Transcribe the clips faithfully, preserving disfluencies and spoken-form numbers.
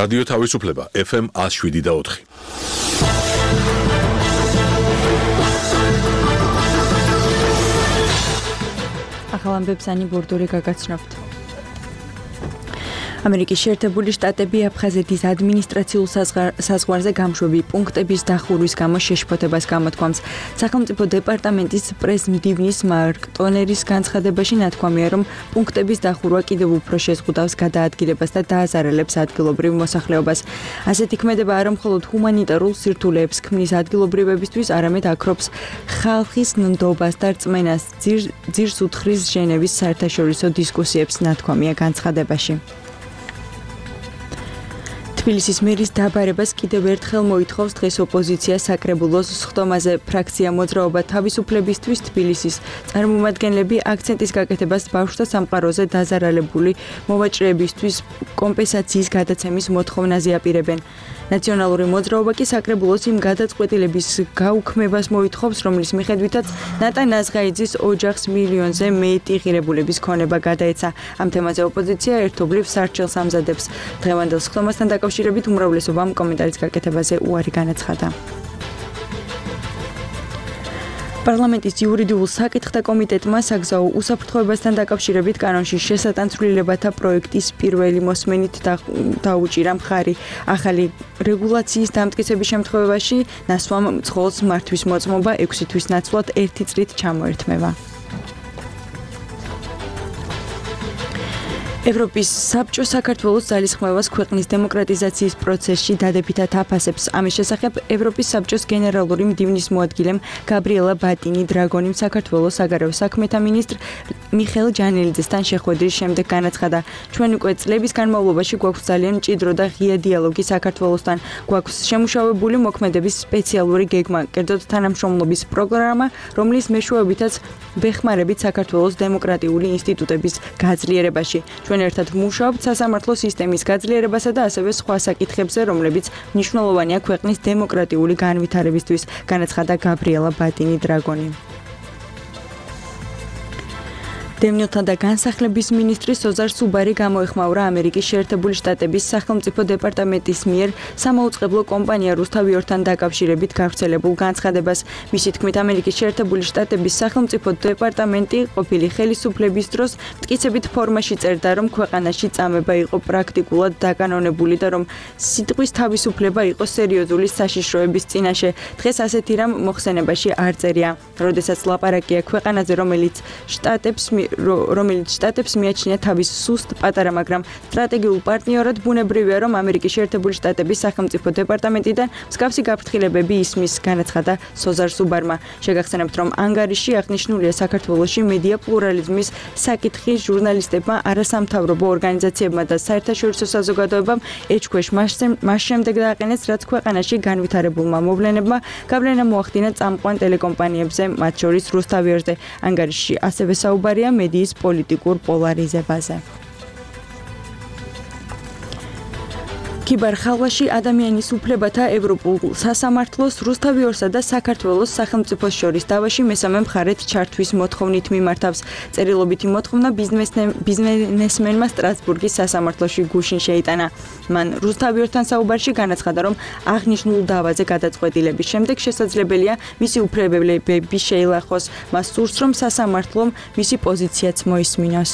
რადიო თავისუფლება ეფ ემ one oh seven და four. ახალ ამბებს ანი ბორდური გაგაცნობთ. ამერიკის შეერთებული შტატები აფხაზეთის ადმინისტრაციულ საზღვარზე გამშვები პუნქტების დახურვის გამო შეშფოთებას გამოთქვამს. სახელმწიფო დეპარტამენტის პრეზ-მდივნის მარკ ტონერის განცხადებაში ნათქვამია, რომ პუნქტების დახურვა კიდევ უფრო შეზღუდავს გადაადგილებას და დააზარალებს ადგილობრივ მოსახლეობას. ასეთი ქმედება არა მხოლოდ ჰუმანიტარულ სირთულეებს ქმნის ადგილობრივებისთვის, არამედ აქრობს ხალხის ნდობას და რწმენას, ძირს უთხრის ჟენევის საერთაშორისო დისკუსიებს, ნათქვამია განცხადებაში. თბილისის მერის დაბარებას კიდევ ერთხელ მოითხოვს დღეს ოპოზიცია საკრებულოს სხდომაზე. ფრაქცია მოძრაობა თავისუფლებისთვის თბილისის წარმომადგენლები აქცენტის გაკეთებას ბავშვთა სამყაროზე დაზარალებული მოვაჭრეებისთვის კომპენსაციის გადაცემის მოთხოვნაზე აპირებენ. ნაციონალური მოძრაობა კი საკრებულოს იმ გადაწყვეტილების გაუქმებას მოითხოვს, რომლის მიხედვითაც ნატა ნაზღაიძის ოჯახს მილიონზე მეტი ღირებულების ქონება გადაეცა. ამ თემაზე ოპოზიცია ერთობლივ სარჩელს ამზადებს. დღევანდელ სხდომასთან დაკავშირებით უმრავლესობამ კომენტარის გაკეთებაზე უარი განაცხადა. პარლამენტის იურიდიულ საკითხთა კომიტეტმა საგზაო უსაფრთხოებასთან დაკავშირებით კანონში შესატანცვლილებათა პროექტის პირველი მოსმენით დაუჭირა მხარი. ახალი რეგულაციის დამტკიცების შემთხვევაში ნასვამ მძღოლს მართვის მოწმობა ექვსი თვის ნაცვლად ერთი წლით ჩამოერთმევა. ევროპის საბჭო საქართველოს ძალისხმევას ქვეყნის დემოკრატიზაციის პროცესში დადებითად აფასებს. ამის შესახებ ევროპის საბჭოს გენერალური მდივნის მოადგილემ გაბრიელა ბატინი დრაგონიმ საქართველოს საგარეო საქმეთა მინისტრ მიხეილ ჯანელიძესთან შეხვედრის შემდეგ განაცხადა, ჩვენ უკვე წლების განმავლობაში გვაქვს ძალიან მჭიდრო და ღია დიალოგი საქართველოსთან, გვაქვს შემუშავებული მოქმედების სპეციალური გეგმა, კერძოდ თანამშრომლობის პროგრამა, რომლის მეშვეობითაც ვეხმარებით საქართველოს დემოკრატიული ინსტიტუტების გაძლიერებაში. ჩვენ ერთად ვმუშაობთ სასამართლო სისტემის გაძლიერებასა და ასევე სხვა საკითხებზე, რომლებიც მნიშვნელოვანია ქვეყნის დემოკრატიული განვითარებისთვის, განაცხადა გაბრიელა ბატინი დრაგონი. დევნილთა და განსახლების მინისტრი სოზარ სუბარი გამოეხმაურა ამერიკის შეერთებული შტატების სახელმწიფო დეპარტამენტის მიერ სამაუწყებლო კომპანია რუსთავიორთან დაკავშირებით გავრცელებულ განცხადებას. მისი თქმით, ამერიკის შეერთებული შტატების სახელმწიფო დეპარტამენტი ყოფილი ხელისუფლების დროს მტკიცებით ფორმაში წერდა, რომ ქვეყანაში წამება იყო პრაქტიკულად დაკანონებული და რომ სიტყვის თავისუფლება იყო სერიოზული საშიშროების წინაშე. დღეს ასეთი რამ მოხსენებაში არ წერია. როდესაც ლაპარაკია ქვეყანაზე, რომელიც შტატებს რომელიც შტატებს მიაჩნია თავის სუსტ, პატარა, მაგრამ სტრატეგიულ პარტნიორად, ბუნებრივია, რომ ამერიკის შეერთებული შტატების სახელმწიფო დეპარტამენტიდან მსგავსი გაფრთხილებები ისმის, განაცხადა სოზარ სუბარმა. შეგახსენებთ, რომ ანგარიში აღნიშნულია საქართველოში მედია პლურალიზმის საკითხის ჟურნალისტებმა, არასამთავრობო ორგანიზაციებმა და საერთაშორისო საზოგადოებამ ეჭქვეშ მას შემდეგ დააყენეს, რაც ქვეყანაში განვითარებულმა მოვლენებმა გავლენა მოახდინა წამყვან ტელეკომპანიებზე, მათ შორის რუსთავიორზე. ანგარიში ასევე საუბარია მედიის პოლიტიკურ პოლარიზებაზე. კიბერხალვაში ადამიანის უფლებათა ევროპულ სასამართლოს რუსთავიორსა და საქართველოს სახელმწიფოს შორის დავაში მესამე მხარეთ ჩართვის მოთხოვნით მიმართავს. წერილობითი მოთხოვნა ბიზნესმენმა სტრასბურგის სასამართლოში გუშინ შეიტანა. მან რუსთავიორთან საუბარში განაცხადა, რომ აღნიშნულ დავაზე გადაწყვეტილების შემდეგ შესაძლებელია მისი უფლებები შეილახოს. მას სურს, რომ სასამართლომ მისი პოზიციაც მოისმინოს.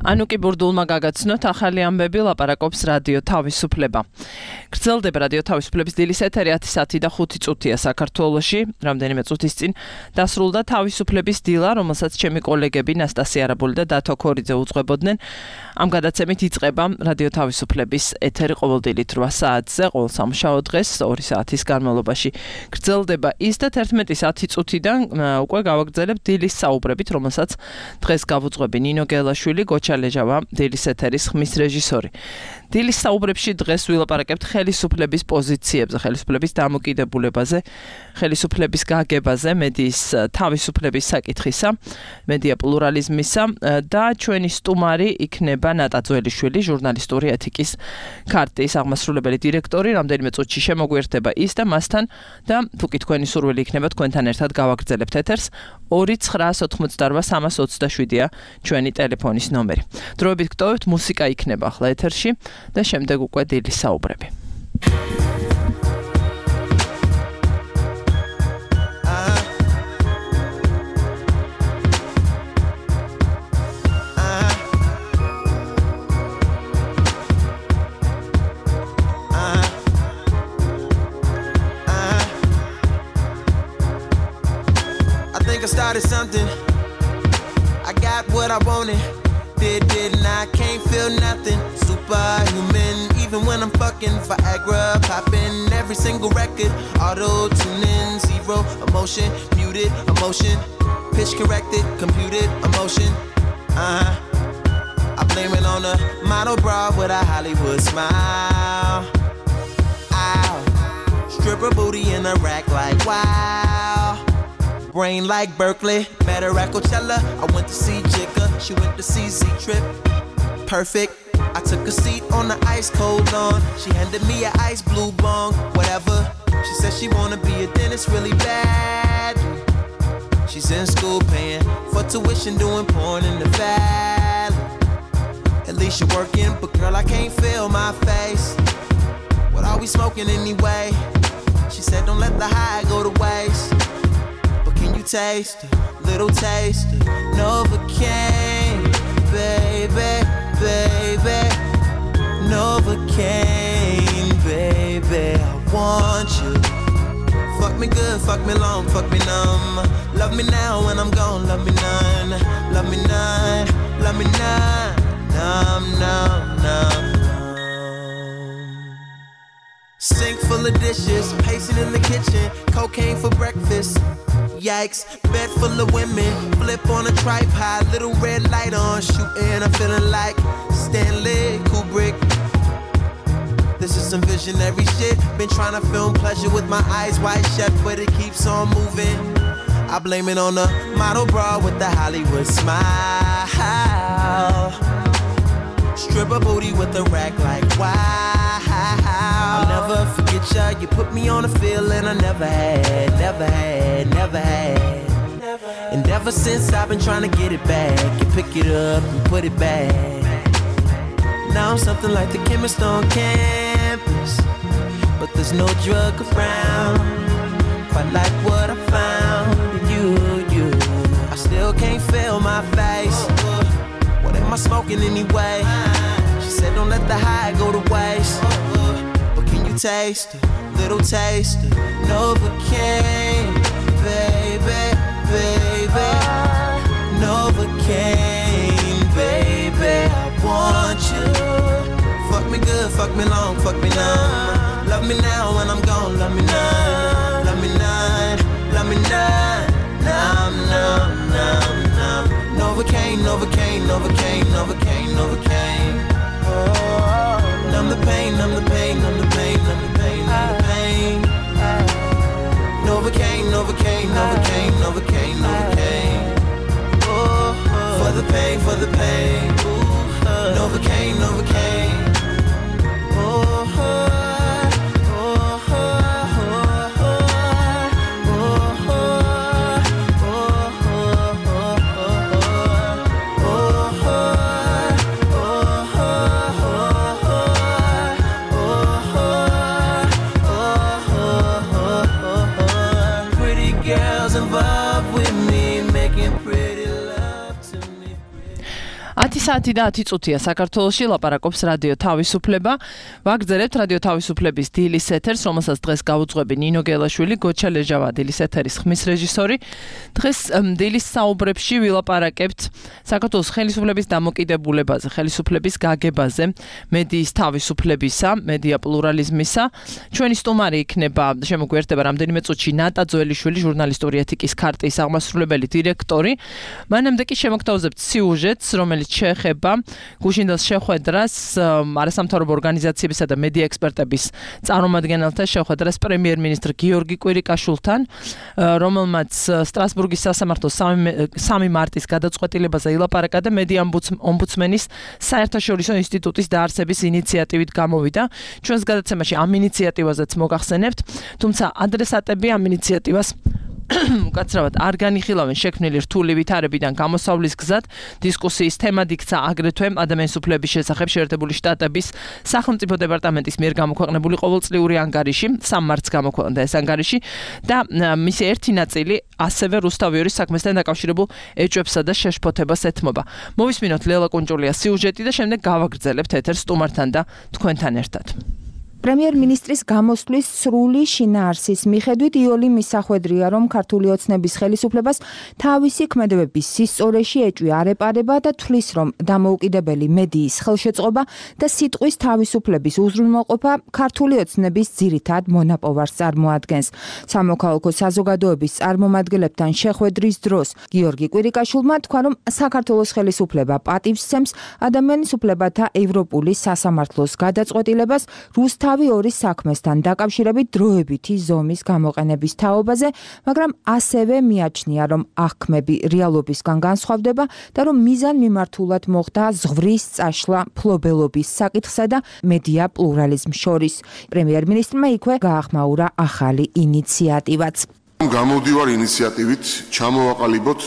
ანუკი ბურდულმა გაგაცნოთ ახალი ამბები ლაპარაკობს რადიო თავისუფლება. გრძელდება რადიო თავისუფლების დილის ეთერი ათი საათი და ხუთი წუთია საქართველოში. რამდენიმე წუთის წინ დასრულდა თავისუფლების დილა, რომელსაც ჩემი კოლეგები ნასტასია არაბული და დათო ქორიძე უძღვებოდნენ. ამ გადაცემით იწყება რადიო თავისუფლების ეთერი ყოველდღიურად რვა საათზე, ყოველ სამშაბათო დღეს ორი საათის განმავლობაში. გრძელდება ის და თერთმეტი საათი წუთიდან უკვე გავაგრძელებთ დილის საუბრებით, რომელსაც დღეს გავუძღვები ნინო გელაშვილი, გოჩალეჟავა, დილის ეთერის ხმის რეჟისორი. დილის საუბრებში დღეს ვილაპარაკებთ ხელისუფლების პოზიციებზე, ხელისუფლების დამოკიდებულებაზე, ხელისუფლების გაგებაზე, მედიის თავისუფლების საკითხისა, მედია პლურალიზმისა და ჩვენი სტუმარი იქნება ნატა ძველიშვილი, ჟურნალისტური ეთიკის ქარტიის აღმასრულებელი დირექტორი. რამდენიმე წუთში შემოგვიერთდება ის და მასთან და თუკი თქვენი სურვილი იქნება თქვენთან ერთად გავაგრძელებთ ეთერს. ორი ცხრაას ოთხმოცდარვა სამას ოცდაშვიდია ჩვენი ტელეფონის ნომერი. დროებით გტოვებთ, მუსიკა იქნება ახლა ეთერში და შემდეგ უკვე დილის საუბრები. I started something, I got what I wanted, did, didn't I, can't feel nothing, superhuman, even when I'm fucking Viagra, popping every single record, auto-tuning, zero emotion, muted emotion, pitch corrected, computed emotion, uh-huh, I blame it on a model bra with a Hollywood smile, ow, stripper booty in a rack like wow. Brain like Berkeley, met her at Coachella. I went to see Jigga, she went to see Z-Trip. Perfect, I took a seat on the ice cold lawn. She handed me an ice blue bong, whatever. She said she wanna be a dentist really bad. She's in school paying for tuition, doing porn in the valley. At least you're working, but girl I can't feel my face. What are we smoking anyway? She said don't let the high go to waste. Can you taste a little taste of Novocaine, baby, baby, Novocaine, baby, I want you. Fuck me good, fuck me long, fuck me numb. Love me now when I'm gone, love me none, love me none, love me none, numb, numb, numb, numb. Sink full of dishes, pacing in the kitchen, cocaine for breakfast. Yikes, bed full of women, flip on a tripod, little red light on, shooting, I'm feeling like Stanley Kubrick. This is some visionary shit, been trying to film pleasure with my eyes wide shut, but it keeps on moving. I blame it on the model bra with the Hollywood smile. Stripper booty with a rack like wow. I'll never forget ya, you put me on a feeling I never had, never had, never had. And ever since I've been trying to get it back, you pick it up and put it back. Now I'm something like the chemist on campus, but there's no drug around, quite like what I found in you, you. I still can't feel my face, what am I smoking anyway? She said don't let the high go to waste. Taste, little taste of Novocaine, baby, baby, Novocaine, baby, I want you. Fuck me good, fuck me long, fuck me numb. Love me now when I'm gone, love me none, love me none, love me none, numb, numb, numb, numb. Novocaine, Novocaine, Novocaine, Novocaine, Novocaine. Oh, numb the pain, numb the pain, numb the pain, numb the pain, numb the pain. Novocaine, Novocaine, Novocaine, Novocaine, Novocaine. Oh, for the pain, for the pain. Novocaine, Novocaine. Oh, ათი საათი და ათი წუთია საქართველოში ლაპარაკობს რადიო თავისუფლება. ვაგრძელებთ რადიო თავისუფლების დილის ეთერს, რომელსაც დღეს გაუძღვები ნინო გელაშვილი, გოჩა ლეჟავა დილის ეთერის ხმის რეჟისორი. დღეს დილის საუბრებში ვილაპარაკებთ საქართველოს ხელისუფლების დამოკიდებულებაზე, ხელისუფლების გაგებაზე, მედიის თავისუფლებისა, მედია პლურალიზმისა. ჩვენი სტუმარი იქნება, შემოგვიერთდება რამდენიმე წუთში ნატა ძველიშვილი, ჟურნალისტური ეთიკის ქარტიის აღმასრულებელი დირექტორი. მანამდე კი შემოგთავაზებთ სიუჟეტს, რომელიც შეეხება გუშინდელს შეხვედრას არასამთავრობო ორგანიზაციებისა და მედია ექსპერტების წარმომადგენელთა შეხვედრას პრემიერ-მინისტრ გიორგი კვირიკაშვილთან, რომელმაც სტრასბურგის სასამართლოს სამი მარტის გადაწყვეტილებაზე ილაპარაკა და მედია ომბუდსმენის საერთაშორისო ინსტიტუტის დაარსების ინიციატივით გამოვიდა. ჩვენს გადაცემაში ამ ინიციატივაზეც მოგახსენებთ, თუმცა ადრესატები ამ ინიციატივას უკაცრავად არ განიხილავენ შექმნილი რთული ვითარებიდან გამოსავლის გზად. დისკუსიის თემად იქცა აგრეთვე ადამიანის უფლების შესახებ შეერთებული შტატების სახელმწიფო დეპარტამენტის მიერ გამოქვეყნებული ყოველწლიური ანგარიში, სამ მარტს გამოქვეყნდა ეს ანგარიში და მისი ერთი ნაწილი ასევე რუსთავიორის საქმესთან დაკავშირებულ ეჭვებსა და შეშფოთებას ეთმობა. მოვისმინოთ ლელა კუნჭულიას სიუჟეტი და შემდეგ გავაგრძელებთ ეთერს სტუმართან და თქვენთან ერთად. პრემიერ-მინისტრის გამოსვლის სრული შინაარსის მიხედვით იოლი მისახვედრია, რომ ქართული ოცნების ხელისუფლებას თავისი ქმედებების სისწორეში ეჭვი არ ეპარება და თვლის, რომ დამოუკიდებელი მედიის ხელშეწყობა და სიტყვის თავისუფლების უზრუნველყოფა ქართული ოცნების ძირითად მონაპოვარს წარმოადგენს. სამოქალაქო საზოგადოების წარმომადგენლებთან შეხვედრის დროს გიორგი კვირიკაშვილმა თქვა, რომ საქართველოს ხელისუფლება პატივს სცემს ადამიანის უფლებათა ევროპული სასამართლოს გადაწყვეტილებას რუსთა თავი ორის საქმესთან დაკავშირებით დროებითი ზომის გამოყენების თაობაზე, მაგრამ ასევე მიაჩნია, რომ აღქმები რეალობისგან განსხვავდება და რომ მიზან მიმართულად მოხდა ზღვრის წაშლა ფლობელობის საკითხსა და მედია პლურალიზმს შორის. პრემიერ-მინისტრმა იქვე გაახმაურა ახალი ინიციატივაც. გამოვდივარ ინიციატივით ჩამოვაყალიბოთ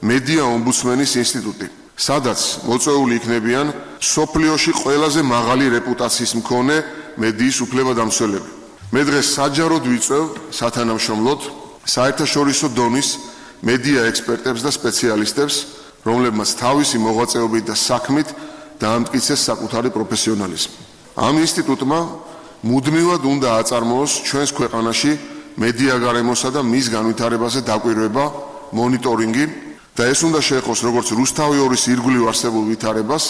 მედია ომბუდსმენის ინსტიტუტი, სადაც მოწვეული იქნებიან სოფლიოში ყველაზე მაღალი რეპუტაციის მქონე მედიის უფლებადამცველები. მე დღეს საჯაროდ ვიწევ სათანამშრომლოდ საერთაშორისო დონის მედია ექსპერტებს და სპეციალისტებს, რომლებმაც თავისი მოღვაწეობით და საქმით დაამტკიცეს საკუთარი პროფესიონალიზმი. ამ ინსტიტუტმა მუდმივად უნდა აწარმოოს ჩვენს ქვეყანაში მედია გარემოსა და მის განვითარებაზე დაკვირვება, მონიტორინგი და ეს უნდა შეეხოს როგორც რუსთავი ორის ირგვლივ არსებულ ვითარებას,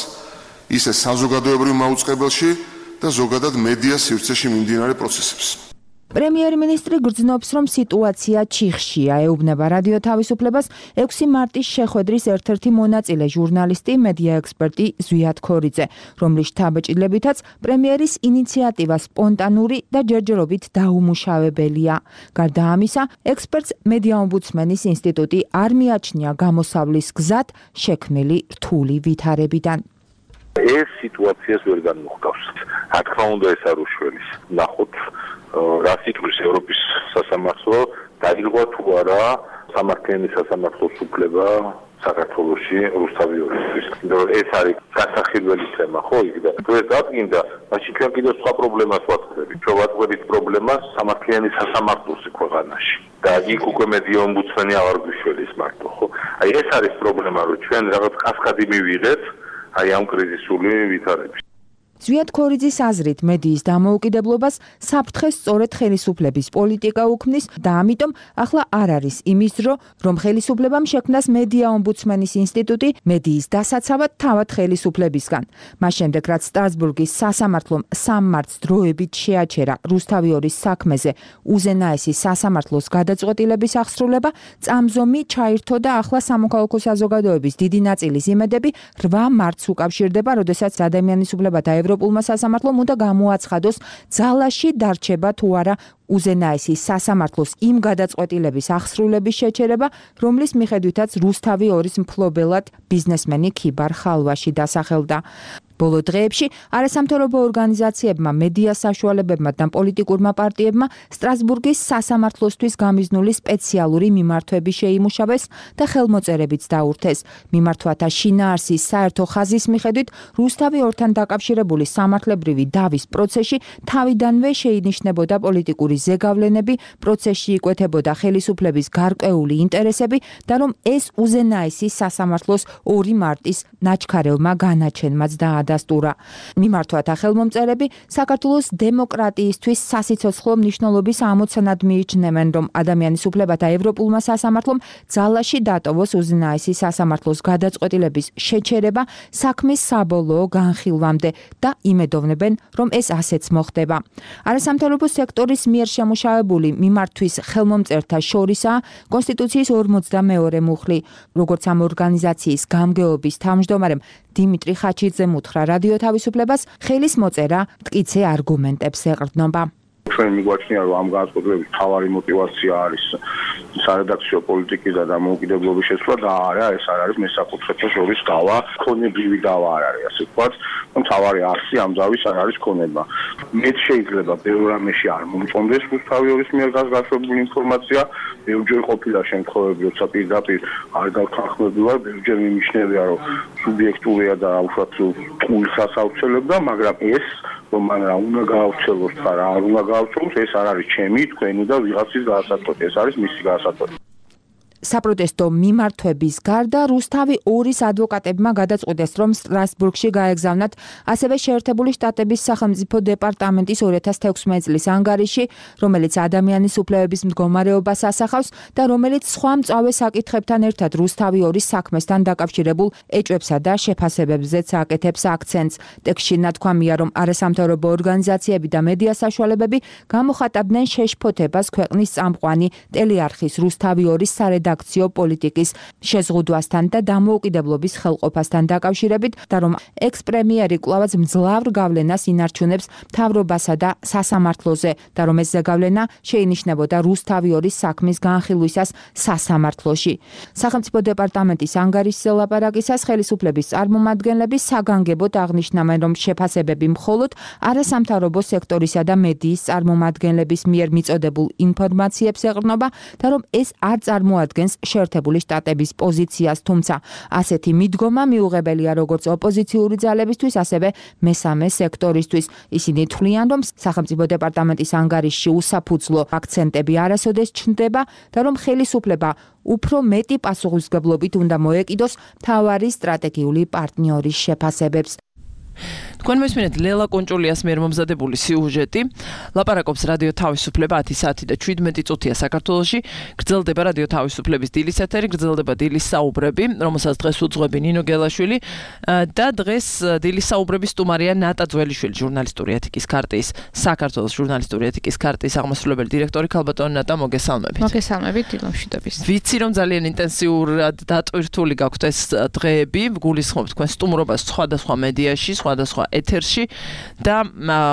ისე საზოგადოებრივ მაუწყებელში და ზოგადად მედიას სივრცეში მიმდინარე პროცესებს. პრემიერ-მინისტრი გრძნობს, რომ სიტუაცია ჩიხშია, ეუბნება რადიო თავისუფლებას ექვსი მარტის შეხვედრის ერთ-ერთი მონაწილე ჟურნალისტი, მედია ექსპერტი ზვიად ქორიძე, რომლის შთაბეჭდილებითაც პრემიერის ინიციატივა სპონტანური და ჯერჯერობით დაუმუშავებელია. გარდა ამისა, ექსპერტს მედია ომბუდსმენის ინსტიტუტი არ მიაჩნია გამოსავლის გზად შექმნილი რთული ვითარებიდან. ეს სიტუაციას ვერ განმოხდავს. რა თქმა უნდა, ეს არ უშველის. ნახოთ, რა სიტყვის ევროპის სასამართლო დაირღვა თუ არა სამართლიანი სასამართლოს უფლება საქართველოში რუსთავი ორისთვის. ეს არის გასახილველი თემა, ხო? იქ და თუ ეს დადგინდა, მაშინ ჩვენ კიდევ სხვა პრობლემას ვაწყდებით. ჩვენ ვაწყდებით პრობლემას სამართლიანი სასამართლოსი ქვეყანაში. და იქ უკვე მედია ომბუდსმენი აღარ გვიშველის მარტო, ხო? აი ეს არის პრობლემა, რომ ჩვენ რაღაც კასკადი მივიღეთ აი ამ კრიზისული ვითარების. ზვიად ქორიძის აზრით მედიის დამოუკიდებლობას საფრთხეს სწორედ ხელისუფლების პოლიტიკა უქმნის და ამიტომ ახლა არ არის იმის დრო, რომ ხელისუფლებამ შექმნას მედია ომბუდსმენის ინსტიტუტი მედიის დასაცავად თავად ხელისუფლებისგან. მას შემდეგ, რაც სტრასბურგის სასამართლომ სამ მარტს დროებით შეაჩერა რუსთავი ორის საქმეზე უზენაესი სასამართლოს გადაწყვეტილების აღსრულება, წამზომი ჩაირთო და ახლა სამოქალაქო საზოგადოების დიდი ნაწილის იმედები რვა მარტს უკავშირდება, როდესაც ადამიანის უფლებათა ევროპულმა სასამართლომ უნდა გამოაცხადოს ძალაში დარჩება თუ არა უზენაესი სასამართლოს იმ გადაწყვეტილების აღსრულების შეჩერება, რომლის მიხედვითაც რუსთავი ორის მფლობელად ბიზნესმენი ქიბარ ხალვაში დასახელდა. ბოლო დღეებში არასამთავრობო ორგანიზაციებმა, მედია საშუალებებმა და პოლიტიკურმა პარტიებმა სტრასბურგის სასამართლოსთვის გამიზნული სპეციალური მიმართვები შეიმუშავეს და ხელმოწერებიც დაურთეს. მიმართვათა შინაარსის საერთო ხაზის მიხედვით რუსთავი ორთან დაკავშირებული სამართლებრივი დავის პროცესში თავიდანვე შეინიშნებოდა პოლიტიკური ზეგავლენები, პროცესში იკვეთებოდა ხელისუფლების გარკვეული ინტერესები და რომ ეს უზენაესი სასამართლოს ორი მარტის ნაჩქარევმა განაჩენმაც დაადასტურა. მიმართვათა ხელმომწერები საქართველოს დემოკრატიისთვის სასიცოცხლო მნიშვნელობის ამოცანად მიიჩნევენ, რომ ადამიანის უფლებათა ევროპულმა სასამართლომ ძალაში დატოვოს უზენაესი სასამართლოს გადაწყვეტილების შეჩერება საქმის საბოლოო განხილვამდე და იმედოვნებენ, რომ ეს ასეც მოხდება. არასამთავრობო სექტორის მიერ შემუშავებული მიმართვის ხელმომწერთა შორისაა კონსტიტუციის ორმოცდამეორე მუხლი, როგორც ამ ორგანიზაციის გამგეობის თავმჯდომარემ დიმიტრი ხაჩიძემ უთხრა რადიო თავისუფლებას, ხელის მოწერა მტკიცე არგუმენტებს ეყრდნობა. ჩვენ მიგვაჩნია, რომ ამ განწყობილების მთავარი мотиваცია არის სარედაქციო პოლიტიკისა და დამოუკიდებლობის შესვლა და არა ეს არ არის მესაკუთრეთა შორის დავა, ქონებრივი დავა არ არის, ასე ვთქვათ. მთავარი არსი ამ დავის არ არის ქონება. მეც შეიძლება ბევრ რამეში არ მომწონდეს რუსთავი ორის მიერ გასაგებული ინფორმაცია, ბევრჯერ ყოფილა შემთხვევები, როცა პირდაპირ არ გავთანხმებულა, ბევრჯერ მიმიშნევია, რომ სუბიექტურია და უშუალოდ ტყუილს ასაუცელებდა, მაგრამ ეს რომ მან რა უნდა გაავრცელოს და რა არ უნდა გაავრცელოს, ეს არ არის ჩემი, თქვენი და ვიღაცის გაასაწყვეტი, ეს არის მისი გაასაწყვეტი. საპროტესტო მიმართვების გარდა რუსთავი ორის ადვოკატებმა გადაწყვიტეს, რომ სტრასბურგში გაეგზავნათ ასევე შეერთებული შტატების სახელმწიფო დეპარტამენტის ორი ათას თექვსმეტი წლის ანგარიში, რომელიც ადამიანის უფლებების მდგომარეობას ასახავს და რომელიც სხვა მწვავე საკითხებთან ერთად რუსთავი ორის საქმესთან დაკავშირებულ ეჭვებსა და შეფასებებზეც აკეთებს აქცენტს. ტექსტში ნათქვამია, რომ არასამთავრობო ორგანიზაციები და მედია საშუალებები გამოხატავდნენ შეშფოთებას ქვეყნის წამყვანი ტელეარხის რუსთავი ორის სარედაქციო redakcjo politikis შეზღუდვასთან და დამოუკიდებლობის ხელყოფასთან დაკავშირებით და რომ ექს-პრემიერი კვლავაც მძლავრ გავლენას ინარჩუნებს მთავრობასა და სასამართლოზე და რომ ეს ზეგავლენა შეინიშნებოდა რუსთავი ორის საქმის განხილვისას სასამართლოში. სახელმწიფო დეპარტამენტის ანგარიშზე ლაპარაკისას ხელისუფლების წარმომადგენლები საგანგებოდ აღნიშნავენ, რომ შეფასებები მხოლოდ არასამთავრობო სექტორისა და მედიის წარმომადგენლების მიერ მიწოდებულ ინფორმაციებს ეყრდნობა და რომ ეს არ წარმოადგენს შეერთებული შტატების პოზიციას, თუმცა ასეთი მიდგომა მიუღებელია როგორც ოპოზიციური ძალებისთვის, ასევე მესამე სექტორისთვის. ისინი თვლიან, რომ სახელმწიფო დეპარტამენტის ანგარიშში უსაფუძვლო აქცენტები არასოდეს ჩნდება და რომ ხელისუფლება უფრო მეტი პასუხისმგებლობით უნდა მოეკიდოს მთავარი სტრატეგიული პარტნიორის შეფასებებს. თქვენ მესმინეთ ლელა კონჭულიას მიერ მომზადებული სიუჟეტი. ლაპარაკობს რადიო თავისუფლება ათი საათი და შვიდმეტი წუთია საქართველოში. გრძელდება რადიო თავისუფლების დილის ეთერი, გრძელდება დილის საუბრები, რომელსაც დღეს უძღვები ნინო გელაშვილი და დღეს დილის საუბრების სტუმარია ნატა ძველიშვილი, ჟურნალისტური ეთიკის ქარტიის, საქართველოს ჟურნალისტური ეთიკის ქარტიის აღმასრულებელი დირექტორი. ქალბატონი ნატა, მოგესალმებით. მოგესალმებით დილომშვიდობის. ვიცი რომ ძალიან ინტენსიურად დატვირთული გაქვთ ეს დღეები, გულისხმობთ თქვენ სტუმრობას სხვადასხვა მედიაში, სხვადასხვა ეთერში და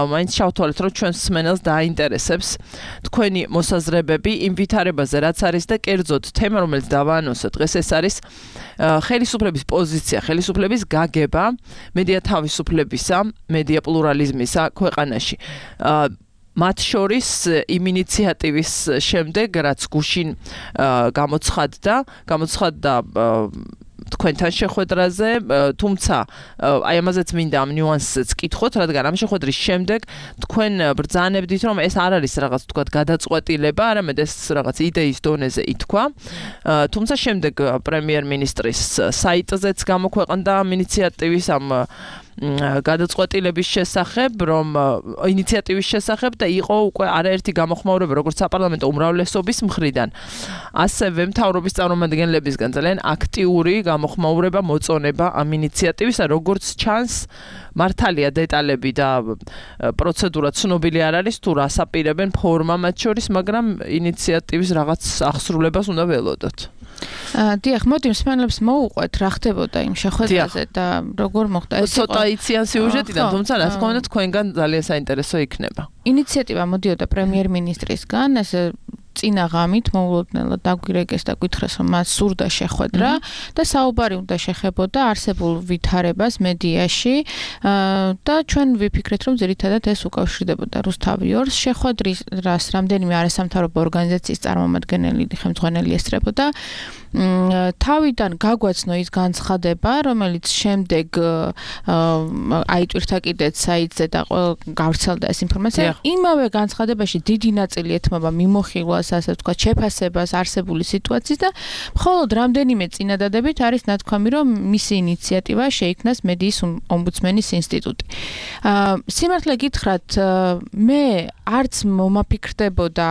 მაინც შევთვალეთ, რომ ჩვენს მსმენელს დააინტერესებს თქვენი მოსაზრებები იმ ვითარებაზე, რაც არის და კერძოდ თემა, რომელიც დავაანონსეთ დღეს, ეს არის ხელისუფლების პოზიცია, ხელისუფლების გაგება მედია თავისუფლებისა, მედია პლურალიზმისა ქვეყანაში. მათ შორის იმ ინიციატივის შემდეგ, რაც გუშინ გამოცხადდა, გამოცხადდა თქვენთან შეხვედრაზე, თუმცა აი ამაზეც მინდა ამ ნიუანსებს კითხოთ, რადგან ამ შეხვედრის შემდეგ თქვენ ბრძანებდით, რომ ეს არ არის რაღაც თქვათ გადაწყვეტილება, არამედ ეს რაღაც იდეის დონეზე ითქვა. თუმცა შემდეგ პრემიერ-მინისტრის საიტზეც გამოქვეყნდა ამ ინიციატივის ამ გადაწყვეტილების შესახებ, რომ ინიციატივის შესახებ და იყო უკვე არაერთი გამოხმაურება როგორც საპარლამენტო უმრავლესობის მხრიდან, ასევე მთავრობის წარმომადგენლებისგან ძალიან აქტიური გამოხმაურება მოწონება ამ ინიციატივისა, როგორც ჩანს მართალია დეტალები და პროცედურა ცნობილი არ არის თუ რას აპირებენ ფორმა მათ შორის, მაგრამ ინიციატივის რაღაც აღსრულებას უნდა ველოდოთ. დიახ, მოდი მსმენელებს მოუყვეთ რა ხდებოდა იმ შეხვედრაზე და როგორ მოხდა ეს იყო. ცოტა იციან სიუჟეტიდან, თუმცა რა თქმა უნდა თქვენგან ძალიან საინტერესო იქნება. ინიციატივა მოდიოდა პრემიერ-მინისტრისგან, ეს წინა ღამით მოულოდნელად დაგვირეკეს და გითხრეს რომ მას სურდა შეხვედრა და საუბარი უნდა შეხებოდა არსებულ ვითარებას მედიაში და ჩვენ ვიფიქრეთ რომ ძირითადად ეს უკავშირდებოდა რუსთავი ორს შეხვედრას რამდენიმე არასამთავრობო ორგანიზაციის წარმომადგენელი ხელმძღვანელი ესწრებოდა თავიდან გაგვაცნო ის განცხადება რომელიც შემდეგ აი ტვირთა კიდეც საიტზე და გავრცელდა ეს ინფორმაცია იმავე განცხადებაში დიდი ნაწილი ეთმობა მიმოხილვას ასე ვთქვათ შეფასებას არსებული სიტუაციის და მხოლოდ რამდენიმე წინადადებით არის ნათქვამი რომ მისი ინიციატივა შეიქმნას მედიის ომბუდსმენის ინსტიტუტი სიმართლე გითხრათ მე არც მომაფიქრდებოდა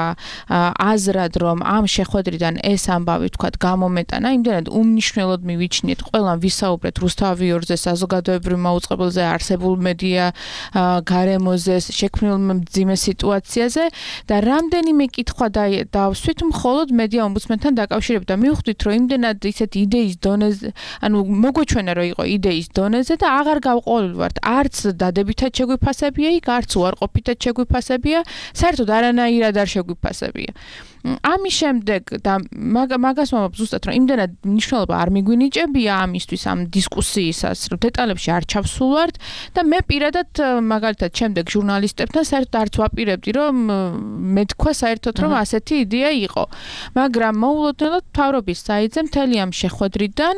აზრად რომ ამ შეხვედრიდან ეს ამბავი ვთქვათ გამომეტანა იმდენად უმნიშვნელოდ მივიჩნიეთ ყველამ ვისაუბრეთ რუსთავი ორზე საზოგადოებრივ მაუწყებელზე არსებულ მედია გარემოზე შექმნილ მძიმე სიტუაციაზე და რამდენიმე კითხვა დავსვით მხოლოდ მედია ომბუდსმენთან დაკავშირებით და მივხვდით რომ იმდენად ისეთ იდეის დონეზე ანუ მოგვეჩვენა რომ იყო იდეის დონეზე და აღარ გავყოლილი ვართ არც დადებითად შეგვიფასებია იქ არც უარყოფითად შეგვიფასებია საერთოდ არანაირად არ შეგვიფასებია ამის შემდეგ და მაგას მომაქვს ზუსტად რომ იმდენად მნიშვნელობა არ მიგვინიჭებია ამისთვის ამ დისკუსიისას რომ დეტალებში არ ჩავსულვართ და მე პირადად მაგალითად შემდეგ ჟურნალისტებთან საერთოდ არც ვაპირებდი რომ მეთქვა საერთოდ რომ ასეთი იდეა იყო მაგრამ მოულოდნელად მთავრობის საიტზე მთელი ამ შეხვედრიდან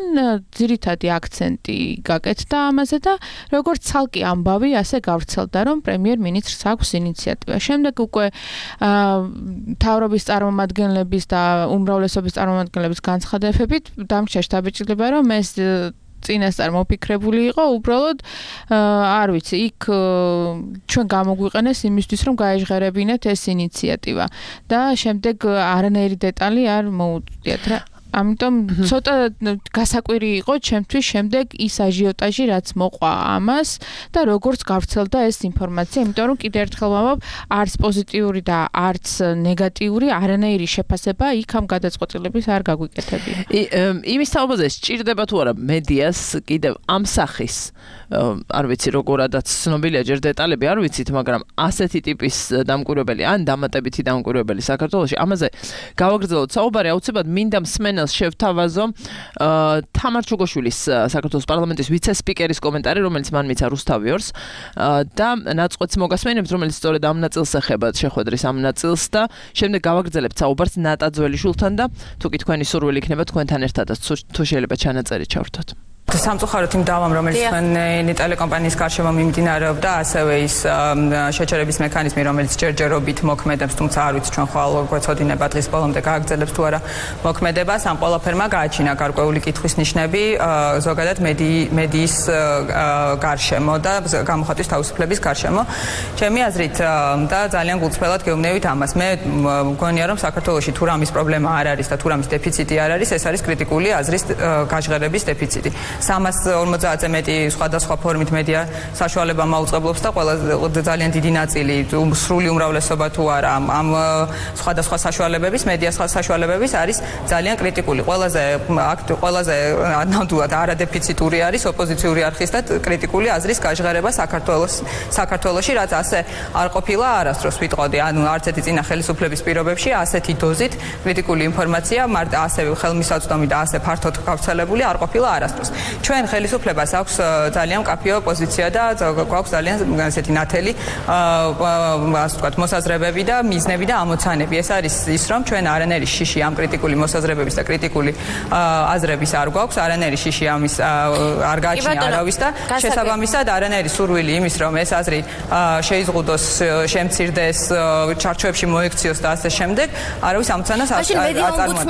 ძირითადი აქცენტი გაკეთდა ამაზე და როგორც ცალკე ამბავი ასე გავრცელდა რომ პრემიერ-მინისტრს აქვს ინიციატივა შემდეგ უკვე მთავრობის წარმომადგენლების და უმრავლესობის წარმომადგენლების განცხადებებით დამრჩა შტაბ-ბიჭდება რომ ეს წინასწარ მოფიქრებული იყო უბრალოდ არ ვიცი იქ ჩვენ გამოგვიყენეს იმისთვის რომ გაეჟღერებინეთ ეს ინიციატივა და შემდეგ არანაირი დეტალი არ მოუწვდიათ რა ამიტომ ცოტა გასაკვირი იყო ჩემთვის შემდეგ ის აჟიოტაჟი რაც მოყვა ამას და როგორც გავრცელდა ეს ინფორმაცია იმიტომ რომ კიდევ ერთხელ ვამბობ არც პოზიტიური და არც ნეგატიური არანაირი შეფასება იქ ამ გადაწყვეტილების არ გაგვიკეთებია იმის თაობაზე სჭირდება თუ არა მედიას კიდევ ამ სახის არ ვიცი როგორადაც ცნობილია ჯერ დეტალები არ ვიცით მაგრამ ასეთი ტიპის დამკვირვებელი ან დამატებითი დამკვირვებელი საქართველოში ამაზე გავაგრძელოთ საუბარი აუცილებლად მინდა მსმენელს შევთავაზო თამარ ჩუგოშვილის საქართველოს პარლამენტის ვიცე-სპიკერის კომენტარი რომელიც მან მიცა რუსთავი ორს და ნაწყვეტს მოგასმენებთ რომელიც სწორედ ამ ნაწილს ეხება შეხვედრის ამ ნაწილს და შემდეგ გავაგრძელებთ საუბარს ნატა ძველიშვილთან და თუ კი თქვენი სურვილი იქნება თქვენთან ერთადაც თუ შეიძლება ჩანაწერი ჩავრთოთ სამწუხაროდ იმ დავამ რომელიც თქვენი ტელეკომპანიის გარშემო მიმდინარეობდა ასევე ის შეჩერების მექანიზმი რომელიც ჯერჯერობით მოქმედებს თუმცა არ ვიცი ჩვენ ხვალ გვეცოდინება დღის ბოლომდე გააგრძელებს თუ არა მოქმედებას ამ ყველაფერმა გააჩინა გარკვეული კითხვის ნიშნები ზოგადად მედიის გარშემო და გამოხატვის თავისუფლების გარშემო ჩემი აზრით და ძალიან გულწრფელად გეუბნევით ამას მე მგონია რომ საქართველოში თუ რამის პრობლემა არ არის და თუ რამის დეფიციტი არ არის ეს არის კრიტიკული აზრის გაჟღერების დეფიციტი სამას ორმოცდაათზე მეტი სხვადასხვა ფორმით მედია საშუალება მაუწყებლობს და ყველა ძალიან დიდი ნაწილი სრული უმრავლესობა თუ არა ამ სხვადასხვა საშუალებების მედია საშუალებების არის ძალიან კრიტიკული ყველაზე ყველაზე ნამდვილად არადეფიციტური არის ოპოზიციური არხის და კრიტიკული აზრის გაჟღერება საქართველოს საქართველოში რაც ასე არ ყოფილა არასდროს ვიტყოდი ანუ არც ერთი წინა ხელისუფლების პირობებში ასეთი დოზით კრიტიკული ინფორმაცია ასევე ხელმისაწვდომი და ასე ფართოდ გავრცელებული არ ყოფილა არასდროს ჩვენ ხელისუფლებას აქვს ძალიან მკაფიო პოზიცია და გვაქვს ძალიან ასეთი ნათელი ასე ვთქვათ მოსაზრებები და მიზნები და ამოცანები ეს არის ის რომ ჩვენ არანაირი შიში ამ კრიტიკული მოსაზრებების და კრიტიკული აზრების არ გვაქვს არანაირი შიში ამის არ გააჩნია არავის და შესაბამისად არანაირი სურვილი იმის რომ ეს აზრი შეიზღუდოს შემცირდეს ჩარჩოებში მოექციოს და ასე შემდეგ არავის ამოცანას არ აწარმოებს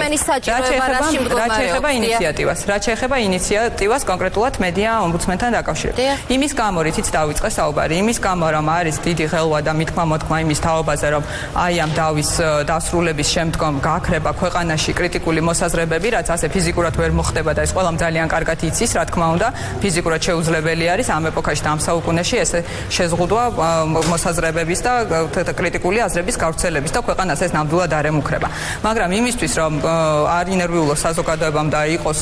რაც შეეხება ინიციატივას რაც შეეხება ინიციატივას კონკრეტულად მედია ომბუდსმენთან დაკავშირებით იმის გამო რითიც დავიწყე საუბარი იმის გამო რომ არის დიდი ხელვა და მithმა მოთქმა იმის თაობაზე რომ აი ამ დავის დასრულების შემდგომ გააქრება ქვეყანაში კრიტიკული მოსაზრებები რაც ასე ფიზიკურად ვერ მოხდება და ეს ყველამ ძალიან კარგად იცის რა თქმა უნდა ფიზიკურად შეუძლებელი არის ამ ეპოქაში და ამ საუკუნეში ესე შეზღუდვა მოსაზრებების და კრიტიკული აზრების გავრცელების და ქვეყანას ეს ნამდვილად არ ემუქრება მაგრამ იმისთვის რომ არ ინერვიულოს საზოგადოებამ და იყოს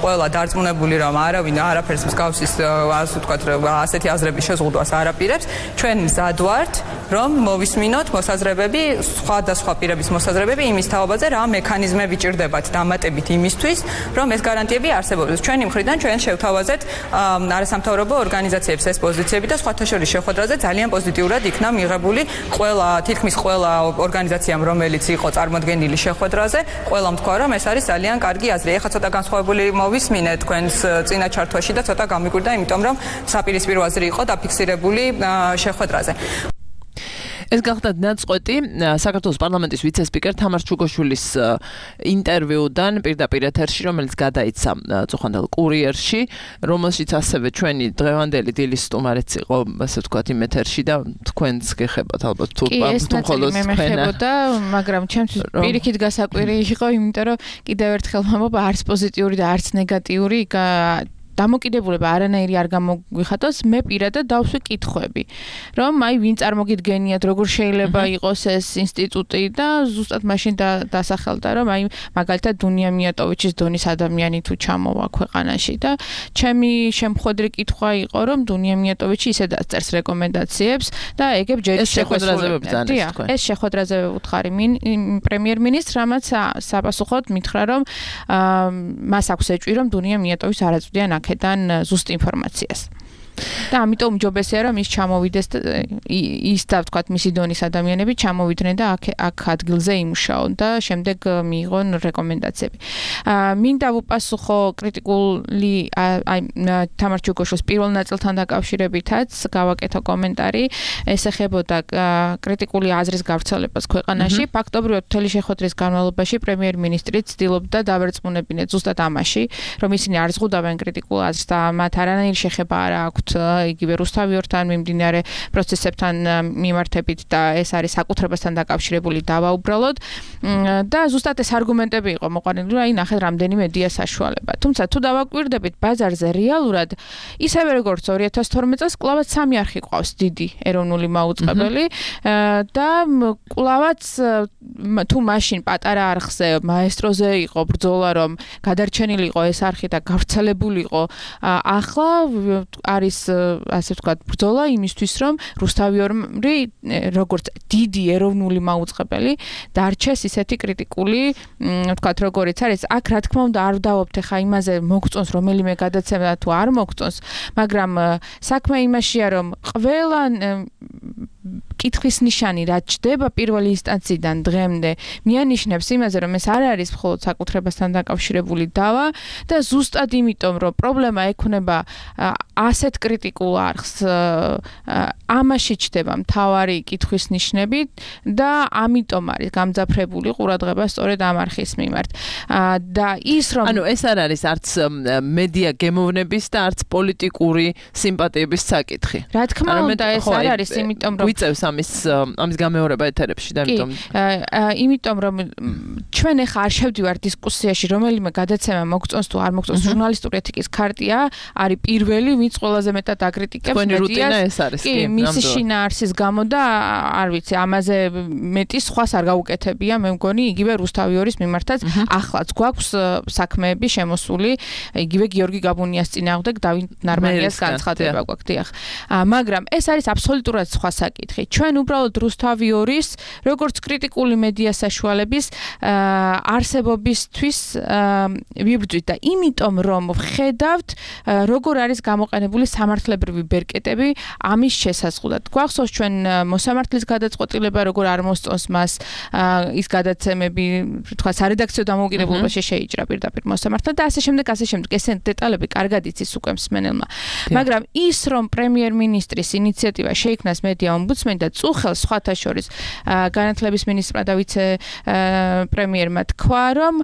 ყველა დარწმუნებული რომ არავინ არაფერს მსგავსის ასე ვთქვათ ასეთი აზრების შეზღუდვას არ აპირებს ჩვენ მზად ვართ რომ მოვისმინოთ მოსაზრებები სხვადასხვა პირების მოსაზრებები იმის თაობაზე რა მექანიზმები ჭირდებათ დამატებით იმისთვის რომ ეს გარანტიები არსებობდეს ჩვენი მხრიდან ჩვენ შევთავაზეთ არასამთავრობო ორგანიზაციებს ეს პოზიციები და სხვათა შორის შეხვედრაზე ძალიან პოზიტიურად იქნა მიღებული ყველა თითქმის ყველა ორგანიზაციამ რომელიც იყო წარმოდგენილი შეხვედრაზე ყველამ თქვა რომ ეს არის ძალიან კარგი აზრი ეხლა ცოტა განსხვავებული მოვისმინეთ თქვენს წინა ჩართვაში და ცოტა გამიგვირდა იმიტომ რომ საპირისპირო აზრი იყო დაფიქსირებული შეხვედრაზე ეს გახდა ნაწყვეტი საქართველოს პარლამენტის ვიცე-სპიკერ თამარ ჩუგოშვილის ინტერვიუდან პირდაპირ ეთერში, რომელიც გადაიცა წუხანდელ კურიერში, რომელშიც ასევე ჩვენი დღევანდელი დილის სტუმარიც იყო, ასე ვთქვათ, იმ ეთერში და თქვენც გეხებათ ალბათ თუ თუ მხოლოდ თქვენა. მაგრამ ჩემთვის პირიქით გასაკვირი იყო, იმიტომ რომ კიდევ ერთხელ ვამბობ, არც პოზიტიური და არც ნეგატიური დამოკიდებულება არანაირი არ გამოგვიხატოს, მე პირადად დავსვი კითხვები, რომ აი ვინ წარმოგიდგენიათ, როგორ შეიძლება იყოს ეს ინსტიტუტი და ზუსტად მაშინ დასახელდა, რომ აი მაგალითად დუნია მიატოვიჩის დონის ადამიანი თუ ჩამოვა ქვეყანაში და ჩემი შემხვედრი კითხვა იყო, რომ დუნია მიატოვიჩი ისე დაწერს რეკომენდაციებს და ეგებ ჯერ შეხვედრაზე ვებძანეს თქვენ. ეს შეხვედრაზე ვუთხარი პრემიერ-მინისტრს, რამაც საპასუხოდ მითხრა, რომ მას აქვს ეჭვი, რომ დუნია მიატოვის არ აწვდიან დან ზუსტ ინფორმაციას. და ამიტომ ჯობესია რომ ის ჩამოვიდეს ის და ვთქვათ მისი დონის ადამიანები ჩამოვიდნენ და აქ აქ ადგილზე იმუშაონ და შემდეგ მიიღონ რეკომენდაციები. აა მინდა ვუპასუხო კრიტიკული აი თამარ ჩუგოშვილის პირველ ნაწილთან დაკავშირებითაც გავაკეთო კომენტარი ეს ეხებოდა კრიტიკული აზრის გავრცელებას ქვეყანაში. ფაქტობრივად მთელი შეხვედრის განმავლობაში პრემიერ-მინისტრი ცდილობდა დავერწმუნებინეთ ზუსტად ამაში რომ ისინი არ ზღუდავენ კრიტიკულ აზრს და მათ არანაირი შეხება არ აქვთ იგივე რუსთავიორთან მიმდინარე პროცესებთან მიმართებით და ეს არის საკუთრებასთან დაკავშირებული დავა უბრალოდ და ზუსტად ეს არგუმენტები იყო მოყვანილი რომ აი ნახეთ რამდენი მედია საშუალება. თუმცა თუ დავაკვირდებით ბაზარზე რეალურად ისევე როგორც ორი ათას თორმეტ წელს კლავაც სამი არხი ყავს დიდი ეროვნული მაუწყებელი და კლავაც თუ მაშინ პატარა არხზე მაესტროზე იყო ბრძოლა რომ გადარჩენილი იყო ეს არხი და გავრცელებული იყო ახლა არის ასე ვთქვათ ბრძოლა იმისთვის რომ რუსთავიორი როგორც დიდი ეროვნული მაუწყებელი დარჩეს ისეთი კრიტიკული ვთქვათ როგორიც არის აქ რა თქმა უნდა არ დავობთ ხა იმაზე მოგწონს რომელიმე გადაცემა თუ არ მოგწონს მაგრამ საქმე იმაშია რომ ყველა კითხვის ნიშანი რაც ჩდება პირველი ინსტანციიდან დღემდე მიანიშნებს იმაზე რომ ეს არ არის მხოლოდ საკუთრებასთან დაკავშირებული დავა და ზუსტად იმიტომ რომ პრობლემა ექნება ასეთ კრიტიკულ არხს ამაში ჩდება მთავარი კითხვის ნიშნები და ამიტომ არის გამძაფრებული ყურადღება სწორედ ამ არხის მიმართ და ის რომ ანუ ეს არ არის არც მედია გემოვნების და არც პოლიტიკური სიმპათიების საკითხი რა თქმა უნდა ეს არ არის იმიტომ რომ გვიწევს ამის ამის გამეორება ეთერებში და ამიტომ იმიტომ რომ ჩვენ ახლა არ შევდივართ დისკუსიაში რომელიმე გადაცემა მოგწონს თუ არ მოგწონს ჟურნალისტური ეთიკის ქარტია არის პირველი ვინც ყველაზე მეტად აკრიტიკებს მედიას კი მისი შინაარსის გამო და არ ვიცი ამაზე მეტი სხვას არ გაუკეთებია მე მგონი იგივე რუსთავიორის მიმართაც ახლაც გვაქვს საქმეები შემოსული იგივე გიორგი გაბუნიას წინააღმდეგ დავით ნარმანიას განცხადება გვაქვს დიახ მაგრამ ეს არის აბსოლუტურად სხვა საკითხი ჩვენ უბრალოდ რუსთავიორის როგორც კრიტიკული მედია საშუალების არსებობისთვის ვიბრძვით და იმიტომ რომ ხედავთ როგორ არის გამოყენებული სამართლებრივი ბერკეტები ამის შესაძლებლად. გვახსოვს ჩვენ მოსამართლის გადაწყვეტილება როგორ არ მოსწონს მას ის გადაცემები, თქვა სარედაქციო დამოუკიდებლობაში შეიჭრა პირდაპირ მოსამართლად და ასე შემდეგ, ასე შემდეგ. ეს დეტალები კარგად იცის უკვე მსმენელმა. მაგრამ ის რომ პრემიერ-მინისტრის ინიციატივა შეიქმნას მედია ომბუდსმენი და წუხელს სხვათა შორის განათლების მინისტრმა და ვიცე პრემიერმა თქვა რომ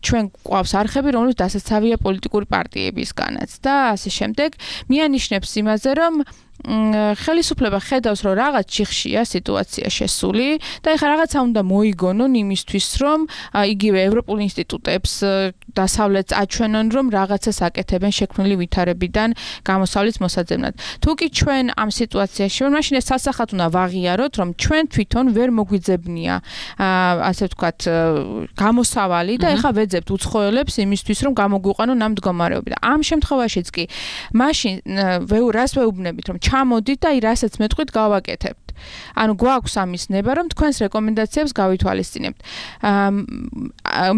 ჩვენ გვყავს არხები, რომლებიც დასაცავია პოლიტიკური პარტიებისგანაც და ასე შემდეგ. მიანიშნებს იმაზე, რომ ხელისუფლება ხედავს, რომ რაღაც ჩიხშია სიტუაცია შესული და ეხლა რაღაცა უნდა მოიგონონ იმისთვის, რომ იგივე ევროპულ ინსტიტუტებს დასავლეთს აჩვენონ, რომ რაღაცას აკეთებენ შექმნილი ვითარებიდან გამოსავლის მოსაძებნად. თუ კი ჩვენ ამ სიტუაციაში ვართ, მაშინ ეს სასახად უნდა ვაღიაროთ, რომ ჩვენ თვითონ ვერ მოგვიძებნია, ასე ვთქვათ, გამოსავალი და ეხლა ვეძებთ უცხოელებს იმისთვის, რომ გამოგვიყვანონ ამ მდგომარეობიდან. ამ შემთხვევაშიც კი მაშინ რას ვეუბნებით, რომ ჩამოდით და აი რასაც მეტყვით გავაკეთებთ. ანუ გვაქვს ამის ნება, რომ თქვენს რეკომენდაციებს გავითვალისწინებთ.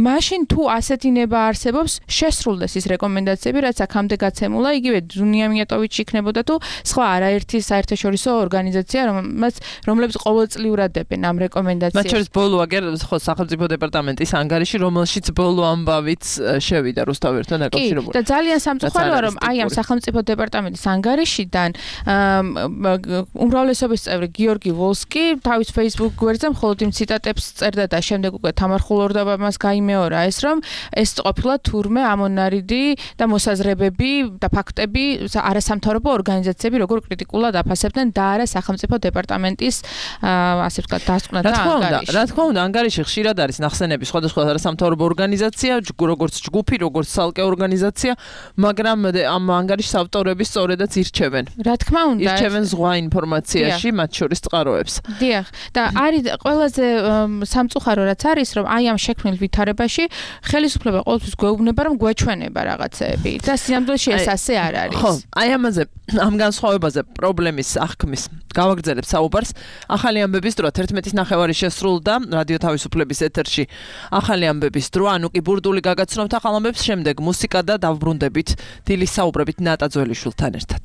მაშინ თუ ასეთი ნება არსებობს, შესრულდეს ის რეკომენდაციები, რაც აქამდე გაცემულა, იგივე დუნია მიატოვიჩი იქნებოდა თუ სხვა არაერთი საერთაშორისო ორგანიზაცია, რომელსაც რომლებიც ყოველწლიურად დებენ ამ რეკომენდაციებს. მათ შორის ბოლო აგერ ხო სახელმწიფო დეპარტამენტის ანგარიში, რომელშიც ბოლო ამბავიც შევიდა რუსთავიორთან დაკავშირებული. კი, და ძალიან სამწუხაროა, რომ აი ამ სახელმწიფო დეპარტამენტის ანგარიშიდან უმრავლესობის წევრი გიორგი ვოლსკი თავის Facebook გვერდზე მხოლოდ იმ ციტატებს წერდა და შემდეგ უკვე თამარ ხულორდაბა მას გაიმეორა ეს რომ ეს ყოფილა თურმე ამონარიდი და მოსაზრებები და ფაქტები არასამთავრობო ორგანიზაციები როგორ კრიტიკულად აფასებდნენ და არა სახელმწიფო დეპარტამენტის ასე ვთქვათ დასკვნა და ანგარიში. რა თქმა უნდა, ანგარიში ხშირად არის ნახსენები სხვადასხვა არასამთავრობო ორგანიზაცია, როგორც ჯგუფი, როგორც ცალკე ორგანიზაცია, მაგრამ ამ ანგარიშის ავტორები სწორედაც ირჩევენ. რა თქმა უნდა, ირჩევენ ზღვა ინფორმაციაში, მათ შორის წყაროებს. დიახ, და არის ყველაზე სამწუხარო რაც არის, რომ აი ამ შექმნილ ვითარებაში ხელისუფლება ყოველთვის გვეუბნება, რომ გვეჩვენება რაღაცეები და სინამდვილეში ეს ასე არ არის. ხო, აი ამაზე, ამ განსხვავებაზე პრობლემის აღქმის გავაგრძელებ საუბარს. ახალი ამბების დრო თერთმეტის ნახევარი შესრულდა რადიო თავისუფლების ეთერში. ახალი ამბების დრო, ანუკი ბურდული გაგაცნობთ ახალ ამბებს, შემდეგ მუსიკა და დავბრუნდებით დილის საუბრებით ნატა ძველიშვილთან ერთად.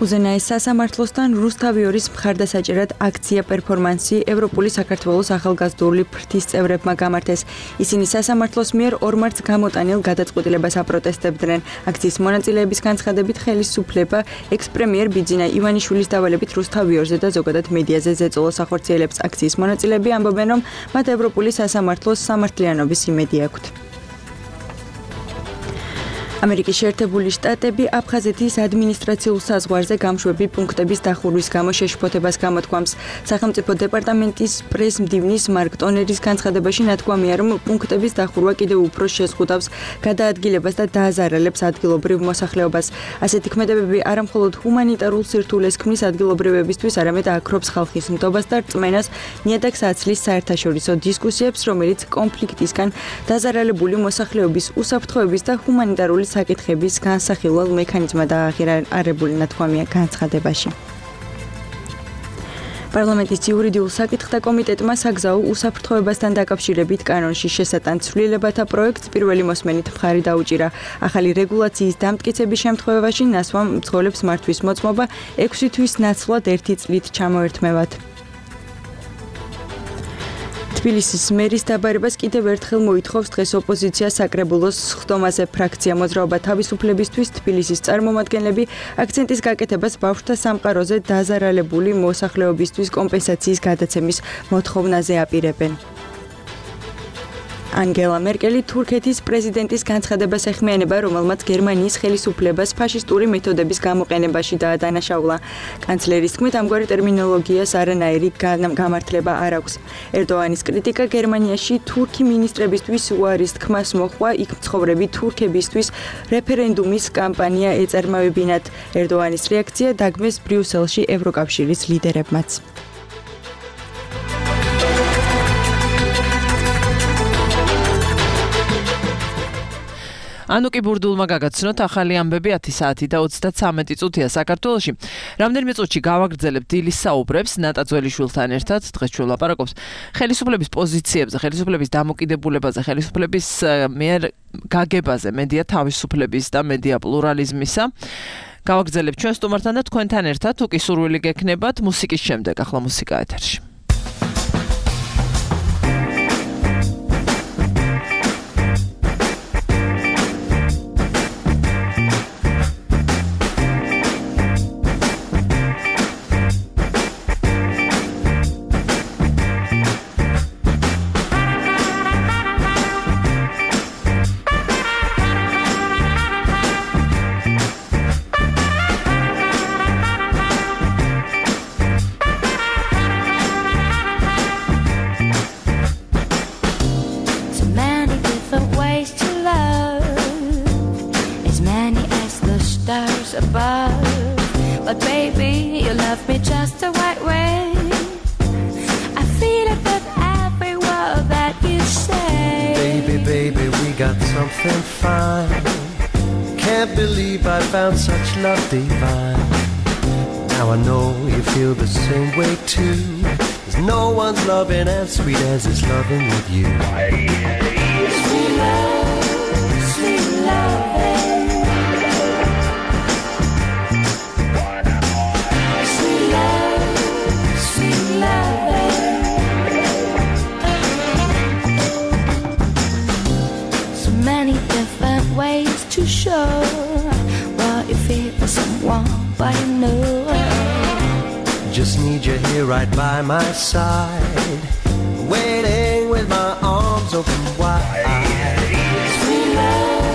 უზენაეს სასამართლოსთან რუსთავიორის მხარდასაჭერად აქცია პერფორმანსი ევროპული საქართველოს ახალგაზრდული ფრთის წევრებმა გამართეს. ისინი სასამართლოს მიერ ორ მარტს გამოტანილ გადაწყვეტილებას აპროტესტებდნენ. აქციის მონაწილეების განცხადებით ხელისუფლება ექს-პრემიერ ბიძინა ივანიშვილის დავალებით რუსთავიორზე და ზოგადად მედიაზე ზეწოლას ახორციელებს. აქციის მონაწილეები ამბობენ, რომ მათ ევროპული სასამართლოს სამართლიანობის იმედი აქვთ. ამერიკის შეერთებული შტატები აფხაზეთის ადმინისტრაციულ საზღვარზე გამშვები პუნქტების დახურვის გამო შეშფოთებას გამოთქვამს. სახელმწიფო დეპარტამენტის პრეს-მდივნის მარკ ტონერის განცხადებაში ნათქვამია, რომ პუნქტების დახურვა კიდევ უფრო შეზღუდავს გადაადგილებას და დააზარალებს ადგილობრივ მოსახლეობას. ასეთი ქმედებები არამხოლოდ ჰუმანიტარულ სირთულეს ქმნის ადგილობრივებისთვის, არამედ აქრობს ხალხის ნდობას და რწმენას, ნიადაგს აცლის საერთაშორისო დისკუსიებს, რომელიც კონფლიქტისგან დაზარალებული მოსახლეობის უსაფრთხოების და ჰუმანიტარული საკითხების განსახილველ მექანიზმად აღიარებული ნათქვამია განცხადებაში. პარლამენტის იურიდიულ საკითხთა კომიტეტმა საგზაო უსაფრთხოებასთან დაკავშირებით კანონში შესატან ცვლილებათა პროექტს პირველი მოსმენით მხარი დაუჭირა. ახალი რეგულაციის დამტკიცების შემთხვევაში ნასვამ მძღოლებს მართვის მოწმობა ექვსი თვის ნაცვლად ერთი წლით ჩამოერთმევათ. თბილისის მერის დაბარებას კიდევ ერთხელ მოითხოვს დღეს ოპოზიცია საკრებულოს სხდომაზე. ფრაქცია მოძრაობა თავისუფლებისთვის თბილისის წარმომადგენლები აქცენტის გაკეთებას ბავშვთა სამყაროზე დაზარალებული მოსახლეობისთვის კომპენსაციის გადაცემის მოთხოვნაზე აპირებენ. ანგელა მერკელი თურქეთის პრეზიდენტის განცხადებას ეხმიანება, რომელმაც გერმანიის ხელისუფლებას ფაშისტური მეთოდების გამოყენებაში დაადანაშაულა. კანცლერის თქმით, ამგვარი ტერმინოლოგიას არანაირი გამართლება არ აქვს. ერდოანის კრიტიკა გერმანიაში თურქი მინისტრებისთვის უარის თქმას მოჰყვა, იქ მცხოვრები თურქებისთვის რეფერენდუმის კამპანია ეწარმოებინათ. ერდოანის რეაქცია დაგმეს ბრიუსელში ევროკავშირის ლიდერებმაც. ანუკი ბურდულმა გაგაცნოთ ახალი ამბები ათი საათი და ოცდათრამეტი წუთია საქართველოში. რამდენიმე წუთში გავაგრძელებ დილის საუბრებს ნატა ძველიშვილთან ერთად. დღეს ჩვენ ვლაპარაკობთ ხელისუფლების პოზიციებზე, ხელისუფლების დამოკიდებულებაზე, ხელისუფლების მიერ გაგებაზე, მედია თავისუფლების და მედია პლურალიზმისა. გავაგრძელებ ჩვენ სტუმართან და თქვენთან ერთად, თუ კი სურვილი გექნებათ, მუსიკის შემდეგ ახლა მუსიკა ეთერში. Above, but baby, your love love me just the right way. I feel it with every word that you say. Baby, baby, we got something fine. Can't believe I found such love divine. Now I know you feel the same way too. There's no one's loving as sweet as is loving with you. Sweet love, sweet loving. Sweet love, sweet loving. So many different ways to show what you feel for someone, but you know. Just need you here right by my side, waiting with my arms open wide. Sweet love,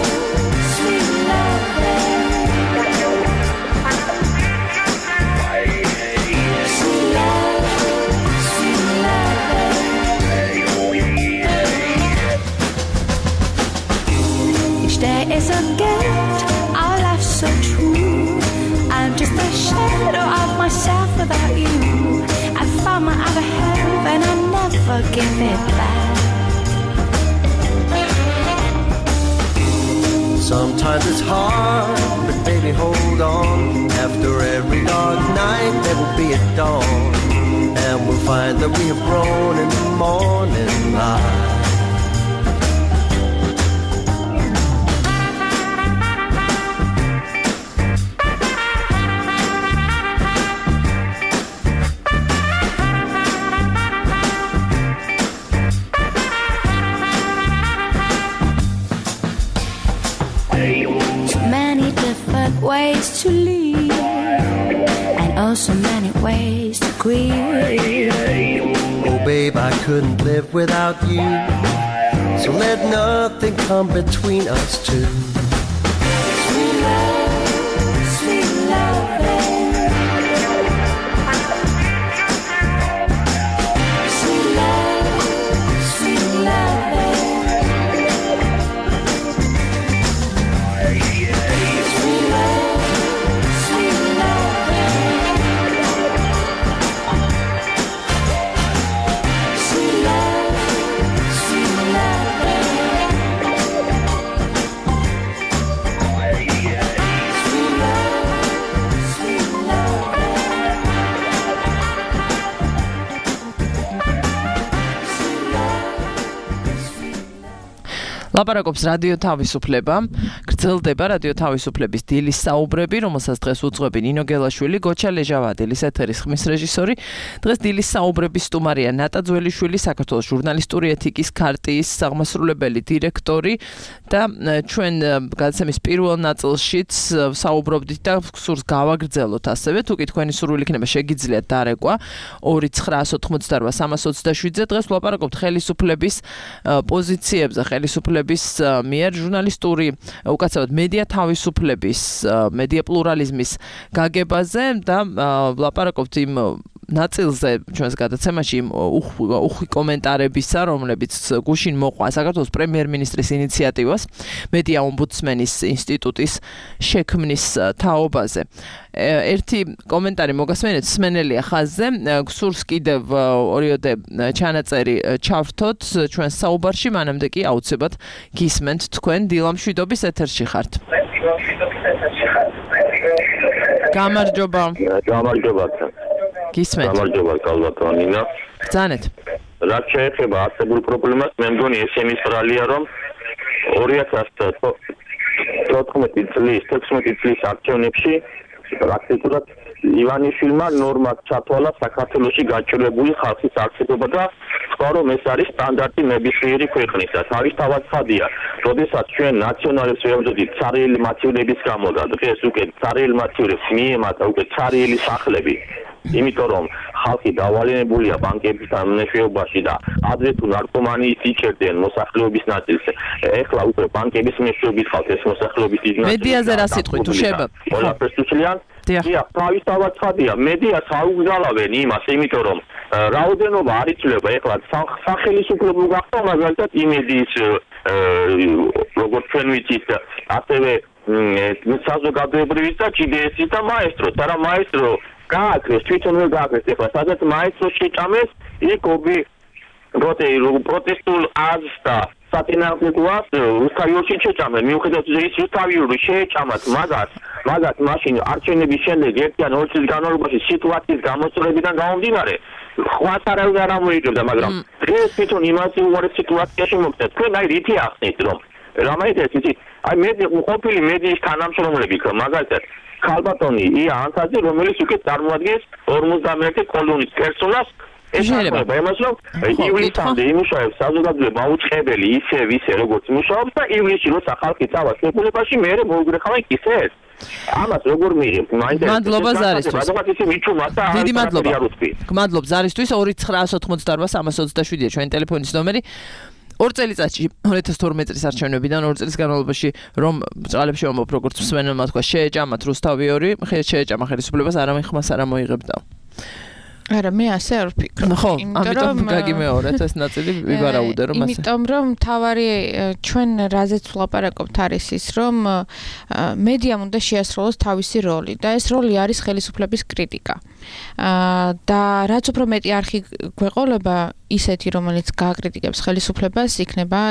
sweet loving. Sweet love, sweet loving. Each day is a gift, our life's so true. I'm just a shadow of myself without you. I found my other half and I never give it back. Sometimes it's hard, but baby hold on. After every dark night there will be a dawn, and we'll find that we have grown in the morning light. Ways to live and also many ways to grieve. Oh babe, I couldn't live without you, so let nothing come between us two. Sweet love, sweet loving. Sweet love, sweet loving. ლაპარაკობს რადიო თავისუფლება. გრძელდება რადიო თავისუფლების დილის საუბრები, რომელსაც დღეს უძღვები ნინო გელაშვილი, გოჩა ლეჟავადილის ეთერის ხმის რეჟისორი. დღეს დილის საუბრების სტუმარია ნატა ძველიშვილი, საქართველოს ჟურნალისტური ეთიკის ქარტიის აღმასრულებელი დირექტორი და ჩვენ გადაცემის პირველ ნაწილშიც საუბრობდით და სურს გავაგრძელოთ ასევე, თუ კი თქვენი სურვილი იქნება შეგიძლიათ დარეკვა ორი ცხრაას ოთხმოცდარვა სამას ოცდაშვიდზე. დღეს ვლაპარაკობთ ხელისუფლების პოზიციებზე, ხელისუფლების მიერ ჟურნალისტური უკაცრავად მედია თავისუფლების, მედია პლურალიზმის გაგებაზე და ვლაპარაკობთ იმ ნაწილზე ჩვენს გადაცემაში უხვი კომენტარებისა, რომლებიც გუშინ მოყვა საქართველოს პრემიერ-მინისტრის ინიციატივას მედია ომბუდსმენის ინსტიტუტის შექმნის თაობაზე. ერთი კომენტარი მოგასმენეთ სმენელია ხაზზე, გსურს კიდევ ორიოდე ჩანაწერი ჩავრთოთ ჩვენს საუბარში, მანამდე კი აუცილებლად გისმენთ თქვენ დილამშვიდობის ეთერში ხართ. გამარჯობა. გამარჯობა. გისმენთ. გამარჯობა კალბატონინა. ბრძანეთ. რაც შეეხება არსებულ პრობლემას, მე მგონი ესენი სტრალია, რომ ორი ათას თოთხმეტი წლის, თექვსმეტი წლის არჩევნებში პრაქტიკულად ივანიშვილმა ნორმად ჩათვალა საქართველოში გაჭირებული ხალხის არსებობა და თქვა, რომ ეს არის სტანდარტი ნებისმიერი ქვეყნისა. თავისთავად ხადია, როდესაც ჩვენ ნაციონალებს ვეუბნებით ცარიელი მაცხოვრების გამო და დღეს უკვე ცარიელი მაცხოვრებს მიემატა უკვე ცარიელი სახლები. იმიტომ რომ ხალხი დავალენებულია ბანკებთან მეშვეობაში და ადრე თუ ნარკომანიის იჭერდნენ მოსახლეობის ნაწილს. ეხლა უკვე ბანკების მეშვეობით ხალხ ეს მოსახლეობის დიდი ნაწილი. მედიაზე რა სიტყვით უშვება? ყველაფერს უჩლიან. დიახ, თავისთავად ხადია, მედიას აუგზავნებენ იმას, იმიტომ რომ რაოდენობა არ იცვლება. ეხლა სახელმწიფო გახდა მაგალითად იმედიის როგორც ჩვენ ვიცით, ასევე საზოგადოებრივი და ჯი დი ეს-ის და მაესტროს. არა მაესტრო გააკრეს, თვითონ ვერ გააკრეს ეხლა, სადაც მაესტრო შეჭამეს, იქ ობი პროტესტულ აზრს და საწინააღმდეგოას რუსთავიურში შეჭამენ. მიუხედავად ის რუსთავიური შეეჭამათ მაგას, მაგას მაშინ არჩევნების შემდეგ ერთი ან ორი წლის განმავლობაში სიტუაციის გამოსწორებიდან გამომდინარე ხვას არავინ არ ამოიღებდა, მაგრამ დღეს თვითონ იმაზე უარი სიტუაციაში მოხდა. თქვენ აი რითი ახსნით, რომ რამაიტეს იცით, აი მედი ყოფილი მედიის თანამშრომლები მაგალითად ქალბატონი ია ანთაძე, რომელიც უკვე წარმოადგენს ორმოცდამეერთე კოლონის პერსონალს შეიძლება იმას რომ ივლისამდე იმუშავებს საზოგადოება მაუწყებელი ისე ვისე როგორც მუშაობს და ივლისში როცა ხალხი წავა შეფულებაში მე მოვგრეხავენ ისე ამას როგორ მიიღებთ მაინტერესებს მადლობა ზარისთვის რადგან ისე მიჩუმა და დიდი მადლობა გმადლობ ზარისთვის ორი ცხრაას ოთხმოცდაორვა სამას ოცდაშვიდია ჩვენი ტელეფონის ნომერი ორ წელიწადში ორი ათას თორმეტი წლის არჩევნებიდან ორ წლის განმავლობაში რომ ბრძოლებში ვამბობ როგორც მსმენელმა თქვა შეეჭამათ რუსთავიორი შეეჭამა ხელისუფლებას არავინ ხმას არ ამოიღებდა არა მე ასე არ ვფიქრობ. ხო, ამიტომ გაგიმეორეთ ეს ნაწილი ვიბარაუდე რომ ასე. იმიტომ რომ თავარი ჩვენ რაზეც ვლაპარაკობთ არის ის რომ მედიამ უნდა შეასრულოს თავისი როლი და ეს როლი არის ხელისუფლების კრიტიკა. და რაც უფრო მეტი არხი გვეყოლება ისეთი რომელიც გააკრიტიკებს ხელისუფლებას იქნება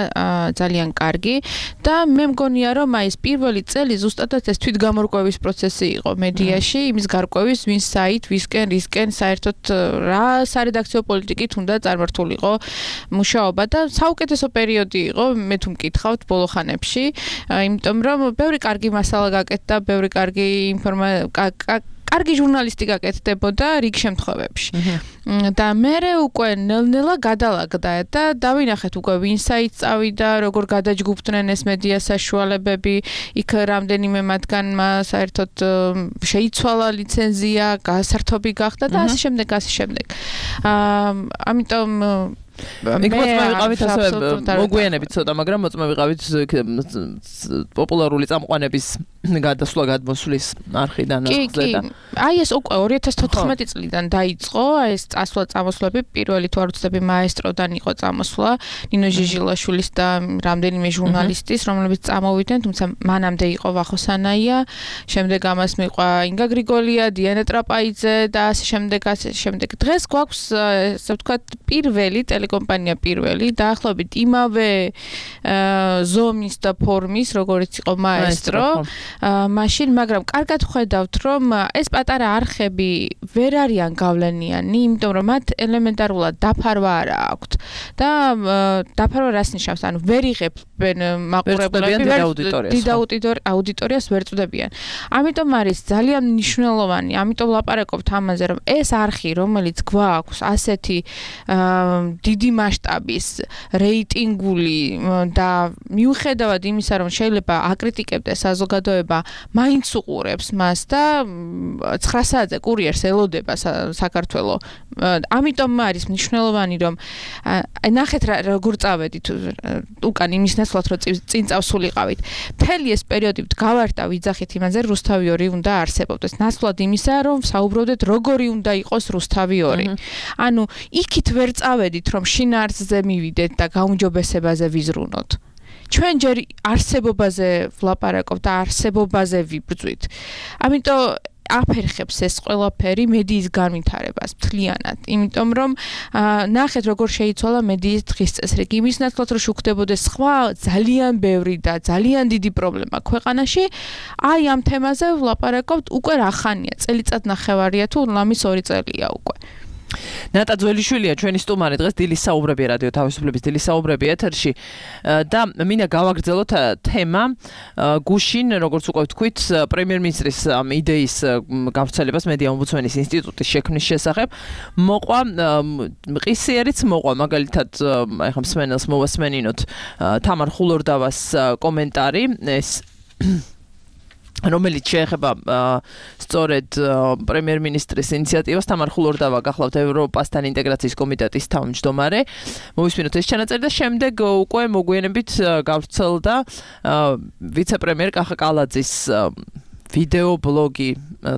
ძალიან კარგი და მე მგონია რომ აი ეს პირველი წელი ზუსტადად ეს თვითგამორკვევის პროცესი იყო მედიაში იმის გარკვევის ვინ საით ვისკენ რისკენ საერთოდ რა სარედაქციო პოლიტიკით უნდა წარმართულიყო მუშაობა და საუკეთესო პერიოდი იყო მე თუ მკითხავთ ბოლო ხანებში იმიტომ რომ ბევრი კარგი მასალა გაკეთდა ბევრი კარგი ინფორმაცია კარგი ჟურნალისტიკა კეთდებოდა რიგ შემთხვევებში. და მე უკვე ნელ-ნელა გადალაგდა და დავინახეთ უკვე ვინ საით წავიდა, როგორ გადაჯგუფდნენ ეს მედია საშუალებები, იქ რამდენიმე მათგანმა საერთოდ შეიცვალა ლიცენზია, გასართობი გახდა და ასე შემდეგ, ასე შემდეგ. აა ამიტომ იქ მოწმა ვიყავით ასე მოგვიანებით ცოტა, მაგრამ მოწმა ვიყავით პოპულარული წამყვანების გადასვლა გადმოსვლის არხიდან ახზე და აი ეს უკვე ორი ათას თოთხმეტი წლიდან დაიწყო აი ეს წასვლა წამოსვლები პირველი თუ არ ვცდები მაესტროდან იყო წამოსვლა ნინო ჟიჟილაშვილის და რამდენიმე ჟურნალისტის რომლებიც წამოვიდნენ თუმცა მანამდე იყო ვახოსანაია შემდეგ ამას მიყვა ინგა გრიგოლია დიანა ტრაპაიძე და ასე შემდეგ ასე შემდეგ დღეს გვაქვს ასე ვთქვათ პირველი კომპანია პირველი დაახლოებით იმავე ზომის და ფორმის როგორც იყო მაესტრო მაშინ მაგრამ კარგად ხედავთ რომ ეს პატარა არხები ვერ არიან გავლენიანი იმიტომ რომ მათ ელემენტარულად დაფარვა არ აქვთ და დაფარვა რას ნიშნავს ანუ ვერ იღებენ მაყურებლები დიდ აუდიტორიას ვერ წვდებიან ამიტომ არის ძალიან მნიშვნელოვანი ამიტომ ლაპარაკობთ ამაზე რომ ეს არხი რომელიც გვაქვს ასეთი დიდი მასშტაბის რეიტინგული და მიუხედავად იმისა რომ შეიძლება აკრიტიკებდეს საზოგადოება მაინც უყურებს მას და ცხრა საათზე კურიერს ელოდება საქართველოს ამიტომ არის მნიშვნელოვანი რომ ნახეთ როგორ წავედით უკან იმის ნაცვლად რომ წინ წავსულიყავით მთელი ეს პერიოდი გავარდა ვიძახით იმაზე რუსთავიორი უნდა არსებობდეს ნაცვლად იმისა რომ საუბრობდეთ როგორი უნდა იყოს რუსთავიორი ანუ იქით ვერ წავედით რომ შინაარსზე მივიდეთ და გაუმჯობესებაზე ვიზრუნოთ. ჩვენ ჯერ არსებობაზე ვლაპარაკობთ და არსებობაზე ვიბრძვით. ამიტომ აფერხებს ეს ყველაფერი მედიის განვითარებას მთლიანად. იმიტომ რომ ნახეთ როგორ შეიცვალა მედიის დღის წესრიგი. იმის ნაცვლად რომ შუქდებოდეს სხვა ძალიან ბევრი და ძალიან დიდი პრობლემა ქვეყანაში, აი ამ თემაზე ვლაპარაკობთ უკვე რა ხანია, წელიწად ნახევარია თუ ლამის ორი წელია უკვე. ნატა ძველიშვილია ჩვენი სტუმარი დღეს დილის საუბრები რადიო თავისუფლების დილის საუბრები ეთერში და მინდა გავაგრძელოთ თემა გუშინ როგორც უკვე ვთქვით პრემიერ-მინისტრის იდეის გავრცელებას მედია ომბუდსმენის ინსტიტუტის შექმნის შესახებ მოყვა მყისიერიც მოყვა მაგალითად აი ხომ მსმენელს მოვასმენინოთ თამარ ხულორდავას კომენტარი ეს რომელიც შეეხება სწორედ პრემიერ-მინისტრის ინიციატივას თამარ ხულორდავა გახლავთ ევროპასთან ინტეგრაციის კომიტეტის თავმჯდომარე მოვისმინოთ ეს ჩანაწერი და შემდეგ უკვე მოგვიანებით გავრცელდა ვიცე-პრემიერ კახა კალაძის ვიდეო ბლოგი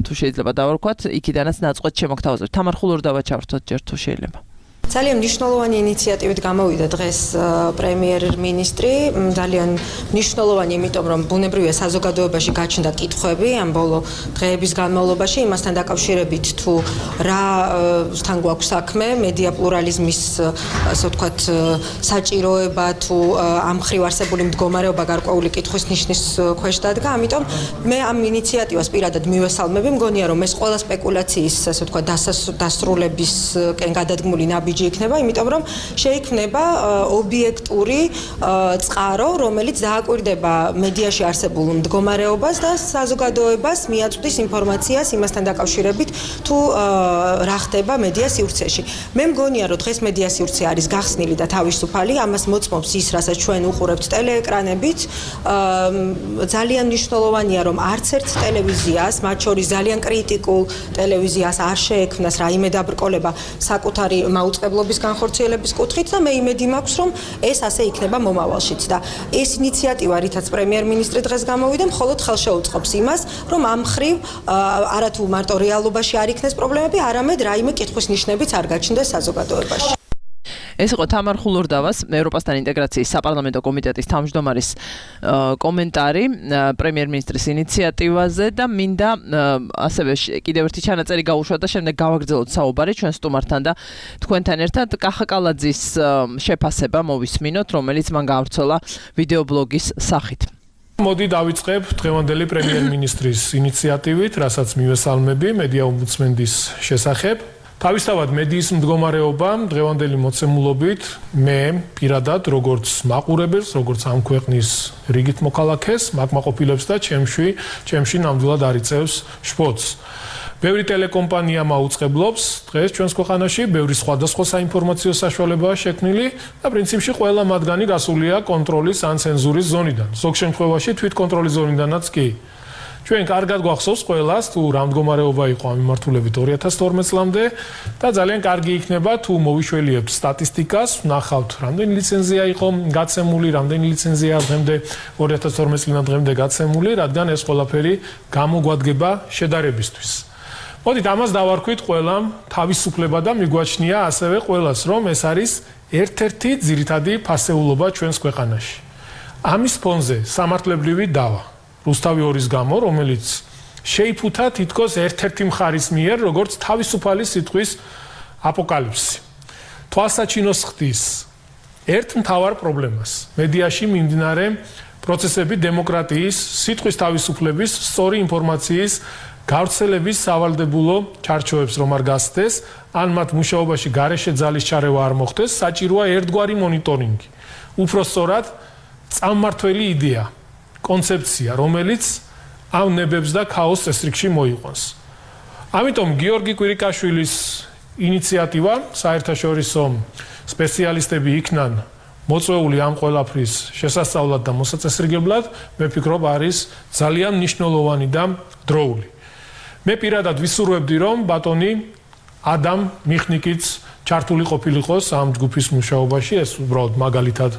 თუ შეიძლება დავარქვათ იქიდანაც ნაწყვეტ შემოგთავაზებთ თამარ ხულორდავა ჩავრთოთ ჯერ თუ შეიძლება ძალიან მნიშვნელოვანი ინიციატივით გამოვიდა დღეს პრემიერ-მინისტრი, ძალიან მნიშვნელოვანი, იმიტომ რომ ბუნებრივია საზოგადოებაში გაჩნდა კითხვები ამ ბოლო დღეების განმავლობაში, იმასთან დაკავშირებით თუ რა თან გვაქვს საქმე, მედია პლურალიზმის, ასე ვთქვათ, საჭიროება თუ ამ მხრივ არსებული მდგომარეობა გარკვეული კითხვის ნიშნის ქვეშ დადგა, ამიტომ მე ამ ინიციატივას პირადად მივესალმები, მგონია რომ ეს ყველა სპეკულაციის, ასე ვთქვათ, დასრულებისკენ გადადგმული ნაბიჯი იქნება, იმიტომ რომ შეიქმნება ობიექტური წყარო, რომელიც დააკვირდება მედიაში არსებულ მდგომარეობას და საზოგადოებას მიაწვდის ინფორმაციას იმასთან დაკავშირებით, თუ რა ხდება მედია სივრცეში. მე მგონია, რომ დღეს მედია სივრცე არის გახსნილი და თავისუფალი, ამას მოწმობს ის, რასაც ჩვენ უყურებთ ტელეეკრანებით. ძალიან მნიშვნელოვანია, რომ არც ერთ ტელევიზიას, მათ შორის ძალიან კრიტიკულ ტელევიზიას არ შეექმნას რაიმე დაბრკოლება საკუთარი მაუწყებლობის განხორციელების კუთხით და მე იმედი მაქვს, რომ ეს ასე იქნება მომავალშიც და ეს ინიციატივა, რითაც პრემიერ-მინისტრი დღეს გამოვიდა, მხოლოდ ხელშეუწყობს იმას, რომ ამ მხრივ არათუ მარტო რეალობაში არ იქნეს პრობლემები, არამედ რაიმე კითხვის ნიშნებიც არ გაჩნდეს საზოგადოებაში. ეს იყო თამარ ხულურდავას, ევროპასთან ინტეგრაციის საპარლამენტო კომიტეტის თავმჯდომარის კომენტარი პრემიერ-მინისტრის ინიციატივაზე და მინდა ასევე კიდევ ერთი ჩანაწერი გაუშვა და შემდეგ გავაგრძელოთ საუბარი ჩვენ სტუმართან და თქვენთან ერთად კახა კალაძის შეფასება მოვისმინოთ, რომელიც მან გაავრცელა ვიდეობლოგის სახით. მოდი დავიწყებ დღევანდელი პრემიერ-მინისტრის ინიციატივით, რასაც მივესალმები მედია ომბუდსმენის შესახებ. თავისთავად მედიის მდგომარეობა დღევანდელი მოცემულობით მე პირადად როგორც მაყურებელს, როგორც ამ ქვეყნის რიგით მოქალაქეს, მაკმაყოფილებს და ჩემში, ჩემში ნამდვილად არ იწევს შფოთს. ბევრი ტელეკომპანია მაუწყებლობს დღეს ჩვენს ქვეყანაში, ბევრი სხვადასხვა საინფორმაციო საშუალებაა შექმნილი და პრინციპში ყველა მათგანი გასულია კონტროლის ან ცენზურის ზონიდან. ზოგ შემთხვევაში თვითკონტროლის ზონიდანაც კი. ჩვენ კარგად გვახსოვს ყველას თუ რა მდგომარეობა იყო ამ მიმართულებით ორი ათას თორმეტ წლამდე და ძალიან კარგი იქნება თუ მოვიშველიებთ სტატისტიკას, ვნახავთ რამდენი ლიცენზია იყო გაცემული, რამდენი ლიცენზია დღემდე ორი ათას თორმეტ წლიდან დღემდე გაცემული, რადგან ეს ყველაფერი გამოგვადგება შედარებისთვის. მოდით ამას დავარქვით ყველამ თავისუფლება და მიგვაჩნია ასევე ყველას, რომ ეს არის ერთ-ერთი ძირითადი ფასეულობა ჩვენს ქვეყანაში. ამის ფონზე სამართლებრივი დავა რუსთავი ორის გამო, რომელიც შეიფუთა თითქოს ერთ-ერთი მხარის მიერ, როგორც თავისუფალი სიტყვის აპოკალიფსი. თვალსაჩინოს ხდის ერთ მთავარ პრობლემას. მედიაში მიმდინარე პროცესები დემოკრატიის, სიტყვის თავისუფლების, სწორი ინფორმაციის გავრცელების სავალდებულო ჩარჩოებს რომ არ გასცდეს, ან მათ მუშაობაში გარეშე ძალის ჩარევა არ მოხდეს, საჭიროა ერთგვარი მონიტორინგი. უფრო სწორად, წამმართველი იდეა. კონცეფცია, რომელიც ამ ნებებს და ქაოსს წესრიგში მოიყვანს. ამიტომ გიორგი კვირიკაშვილის ინიციატივა საერთაშორისო სპეციალისტები იქნან მოწვეული ამ ყველაფრის შესასწავლად და მოსაწესრიგებლად, მე ვფიქრობ, არის ძალიან მნიშვნელოვანი და დროული. მე პირადად ვისურვებდი, რომ ბატონი ადამ მიხნიკიც ჩართული ყოფილიყოს ამ ჯგუფის მუშაობაში, ეს უბრალოდ მაგალითად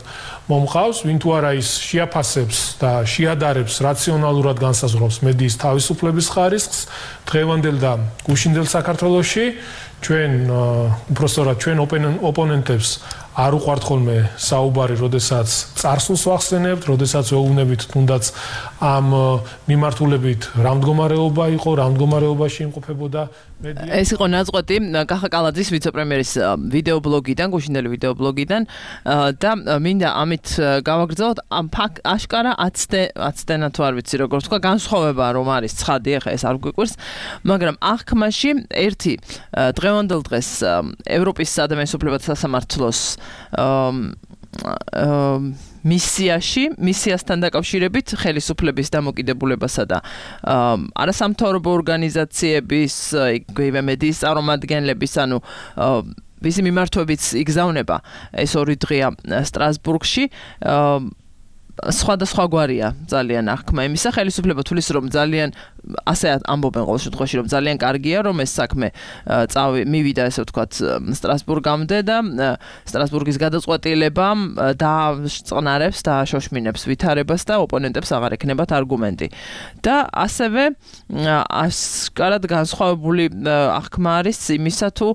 მომყავს, ვინ თუ არა ის შეაფასებს და შეადარებს რაციონალურად განსაზღვრავს მედიის თავისუფლების ხარისხს დღევანდელ და გუშინდელ საქართველოში, ჩვენ უბრალოდ ჩვენ ოპონენტებს არ უყვართ ხოლმე საუბარი, როდესაც წარსულს ვახსენებთ, როდესაც ვეუბნებით თუნდაც ამ მიმართულებით რა მდგომარეობა იყო, რა მდგომარეობაში იმყოფებოდა მედია. ეს იყო ნაწყვეტი კახა კალაძის ვიცე-პრემიერის ვიდეობლოგიდან, გუშინდელი ვიდეობლოგიდან და მინდა ამით გავაგრძელოთ ამ ფაქტ აშკარა აცდენა თუ არ ვიცი როგორ თქვა, განსხვავება რომ არის ცხადი, ახლა ეს არ გვიყვირს, მაგრამ აღქმაში ერთი დღევანდელ დღეს ევროპის ადამიანის უფლებათა სასამართლოს მისიაში, მისიასთან დაკავშირებით ხელისუფლების დამოკიდებულებასა და არასამთავრობო ორგანიზაციების, იგივე მედიის წარმომადგენლების, ანუ ვისი მიმართვებიც იგზავნება ეს ორი დღეა სტრასბურგში. სხვადასხვაგვარია ძალიან აღქმა იმისა, ხელისუფლება თulis რომ ძალიან ასე ამბობენ ყოველ შემთხვევაში რომ ძალიან კარგია რომ ეს საქმე წავი მივიდა ესე ვთქვათ სტრასბურგამდე და სტრასბურგის გადაწყვეტილება დაწყნარებს და შოშმინებს ვითარებას და ოპონენტებს აღარ ექნებათ არგუმენტი და ასევე ასკარად განსხვავებული აღქმა არის იმისა თუ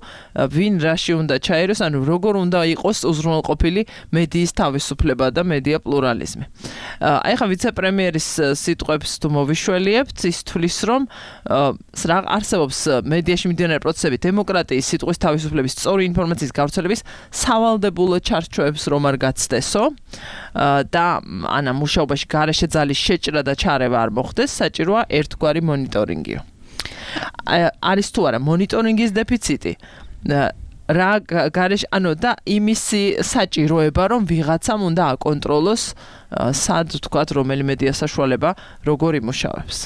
ვინ რაში უნდა ჩაეროს ანუ როგორ უნდა იყოს უზრუნველყოფილი მედიის თავისუფლება და მედია პლურალიზმი აი ხა ვიცე-პრემიერის სიტყვებს თუ მოვიშველიებთ ის თulis რომ არსებობს მედიაში მიმდინარე პროცესები დემოკრატიის სიტყვის თავისუფლების სწორი ინფორმაციის გავრცელების სავალდებულო ჩარჩოებს რომ არ გაცდესო და ანა მუშაობაში გარეშე ძალის შეჭრა და ჩარევა არ მოხდეს საჭიროა ერთგვარი მონიტორინგიო არის თუ არა მონიტორინგის დეფიციტი რა გარეშე ანუ და იმისი საჭიროება რომ ვიღაცამ უნდა აკონტროლოს სად ვთქვათ რომელი მედია საშუალება როგორ იმუშავებს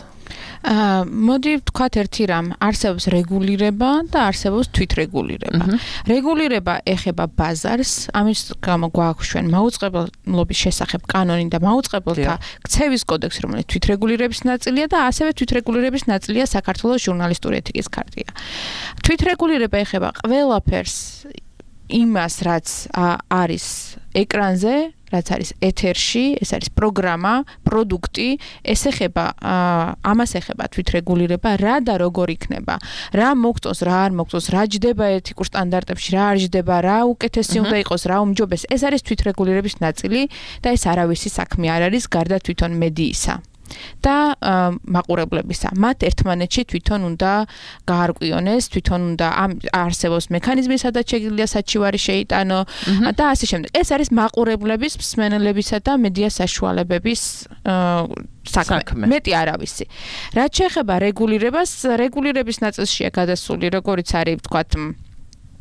აა მოდი ვთქვათ ერთი რამ არსებობს რეგულირება და არსებობს თვითრეგულირება. რეგულირება ეხება ბაზარს, ამის გამო გვაქვს ჩვენ მაუწყებლობის შესახებ კანონი და მაუწყებელთა ქცევის კოდექსი, რომელიც თვითრეგულირების ნაწილია და ასევე თვითრეგულირების ნაწილია საქართველოს ჟურნალისტური ეთიკის ქარტია. თვითრეგულირება ეხება ყველაფერს იმას, რაც არის ეკრანზე, რაც არის ეთერში, ეს არის პროგრამა, პროდუქტი, ეს ეხება ამას ეხება თვითრეგულირება, რა და როგორ იქნება, რა მოგწონს, რა არ მოგწონს, რა ჯდება ეთიკურ სტანდარტებში, რა არ ჯდება, რა უკეთესი უნდა იყოს, რა უმჯობეს, ეს არის თვითრეგულირების ნაწილი და ეს არავისი საქმე არ არის გარდა თვითონ მედიისა. და მაყურებლებისა. მათ ერთმანეთში თვითონ უნდა გაარკვიონეს, თვითონ უნდა არსებობს მექანიზმი, სადაც შეიძლება საჩივარი შეიტანო და ასე შემდეგ. ეს არის მაყურებლების, მსმენელებისა და მედია საშუალებების საქმე. მეტი არავისი. რაც შეეხება რეგულირებას, რეგულირების ნაწილშია გადასული, როგორიც არის, ვთქვათ,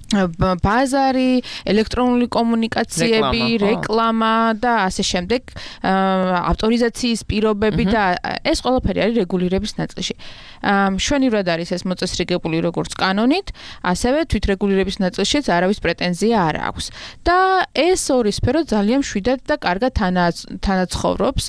ბაზარი, ელექტრონული კომუნიკაციები, რეკლამა და ასე შემდეგ, ავტორიზაციის პირობები და ეს ყველაფერი არის რეგულირების ნაწილში. მშვენივრად არის ეს მოწესრიგებული როგორც კანონით, ასევე თვითრეგულირების ნაწილშიც არავის პრეტენზია არ აქვს. და ეს ორი სფერო ძალიან მშვიდად და კარგად თანაცხოვრობს.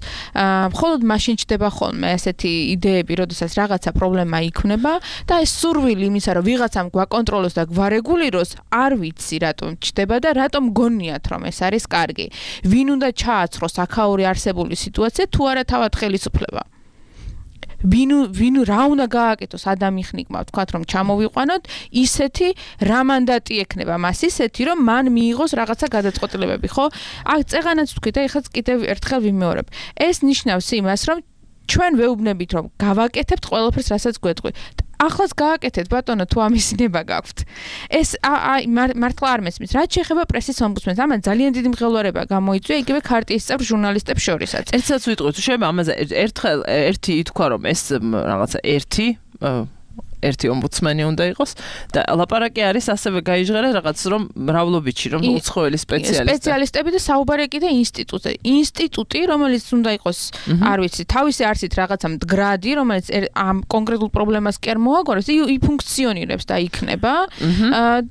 მხოლოდ მაშინ ჩდება ხოლმე ესეთი იდეები, როდესაც რაღაცა პრობლემა იქნება და ეს სურვილი იმისა, რომ ვიღაცამ გვაკონტროლოს და გვარეგულიროს არ ვიცი რატომ ჩდება და რატომ გონიათ რომ ეს არის კარგი. ვინ უნდა ჩააცროს აქაური არსებული სიტუაცია თუ არა თავად ხელისუფლება. ვინ ვინ რა უნდა გააკეთოს ადამიანმა ვთქვათ რომ ჩამოვიყვანოთ ისეთი რა მანდატი ექნება მას ისეთი რომ მან მიიღოს რაღაცა გადაწყვეტილებები ხო? აქ წეღანაც ვთქვით და ეხლა კიდევ ერთხელ ვიმეორებ. ეს ნიშნავს იმას რომ ჩვენ ვეუბნებით რომ გავაკეთებთ ყველაფერს რასაც გვეტყვით. ახლაც გააკეთეთ ბატონო თუ ამისინება გაქვთ. ეს აი მართლა არ მესმის. რაც შეეხება პრესის ომბუდსმენს, ამან ძალიან დიდი მღელვარება გამოიწვია იგივე ქარტიის წევრ ჟურნალისტებს შორისაც. ერთსაც ვიტყვით, შეიძლება ამაზე ერთხელ ერთი ითქვა რომ ეს რაღაცა ერთი ერთი ომბუდსმენი უნდა იყოს და ლაპარაკი არის ასევე გაიჟღერა რაღაც რომ მრავლობითში რომ უცხოელი სპეციალისტები სპეციალისტები და საუბარი კიდე ინსტიტუტზე ინსტიტუტი რომელიც უნდა იყოს არ ვიცი თავისი არსით რაღაცა მდგრადი რომელიც ამ კონკრეტულ პრობლემას კი არ მოაგვარებს იფუნქციონირებს და იქნება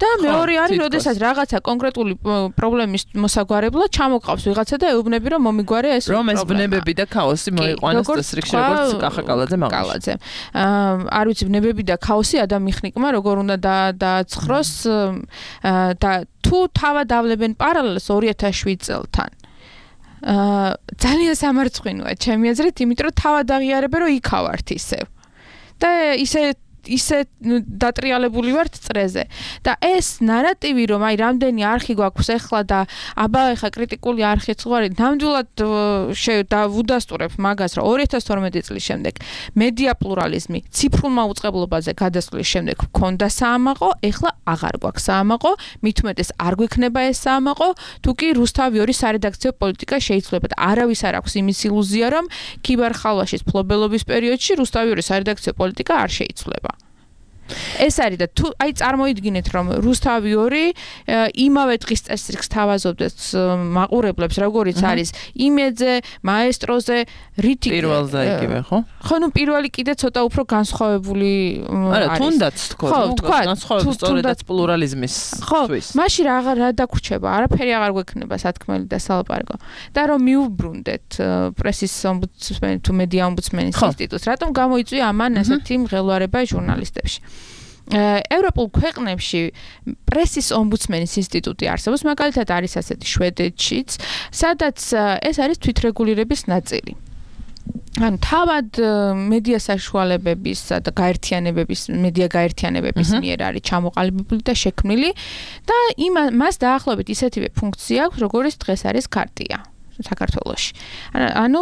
და მეორე არის როდესაც რაღაცა კონკრეტული პრობლემის მოსაგვარებლად ჩამოყავს ვიღაცა და ეუბნები რომ მომიგვარე ეს რომ ეს ბნებები და ქაოსი მოიყვანოს ეს რიგში როგორც კახაკალაძე მაღალაძე არ ვიცი ბნებები და ქაოსი ადამიანმა როგორ უნდა დააცხროს და თუ თავად ავლებენ პარალელს ორი ათას შვიდ წელთან. ძალიან სამარცხვინოა ჩემი აზრით, იმიტომ რომ თავად აღიარებენ რომ იქავართ ისევ. და ისე ისე დატრიალებული ვართ წრეზე და ეს ნარატივი რომ აი რამდენი არხი გვაქვს ახლა და აბა ახლა კრიტიკული არხიც ვარ ნამდვილად დავუდასტურებ მაგას რომ ორი ათას თორმეტი წლის შემდეგ მედია პლურალიზმი ციფრულ მაუწყებლობაზე გადასვლის შემდეგ გქონდა საამაყო ახლა აღარ გვაქვს საამაყო მით უმეტეს არ გვექნება ეს საამაყო თუ კი რუსთავი ორი სარედაქციო პოლიტიკა შეიძლება და არავის არ აქვს იმის ილუზია რომ ქიბარხალვაშის ფლობელობის პერიოდში რუსთავი ორი სარედაქციო პოლიტიკა არ შეიცვლება ეს არის და თუ აი წარმოიდგინეთ რომ რუსთავი ორი იმავე დღის წესრიგს თავაზობდეს მაყურებლებს როგორიც არის იმედზე, მაესტროზე, რითი პირველზე იგივე ხო? ხო, ნუ პირველი კიდე ცოტა უფრო განსხვავებული არა, თუნდაც თქო, განსხვავებული სწორედაც პლურალიზმის თვის. ხო, მაშინ რა რა დაგვრჩება, არაფერი აღარ გვექნება სათქმელი და სალაპარაკო. და რომ მიუბრუნდეთ პრესის ომბუდსმენი თუ მედია ომბუდსმენის ინსტიტუტს, რატომ გამოიწვია ამან ესეთი მღელვარება ჟურნალისტებში? ევროპულ ქვეყნებში პრესის ომბუდსმენის ინსტიტუტი არსებობს, მაგალითად არის ასეთი შვედეთშიც, სადაც ეს არის თვითრეგულირების ნაწილი. ანუ თავად მედია საშუალებების და გაერთიანებების, მედია გაერთიანებების მიერ არის ჩამოყალიბებული და შექმნილი და მას დაახლოებით ისეთივე ფუნქცია აქვს, როგორც დღეს არის ქარტია. საქართველოში. ანუ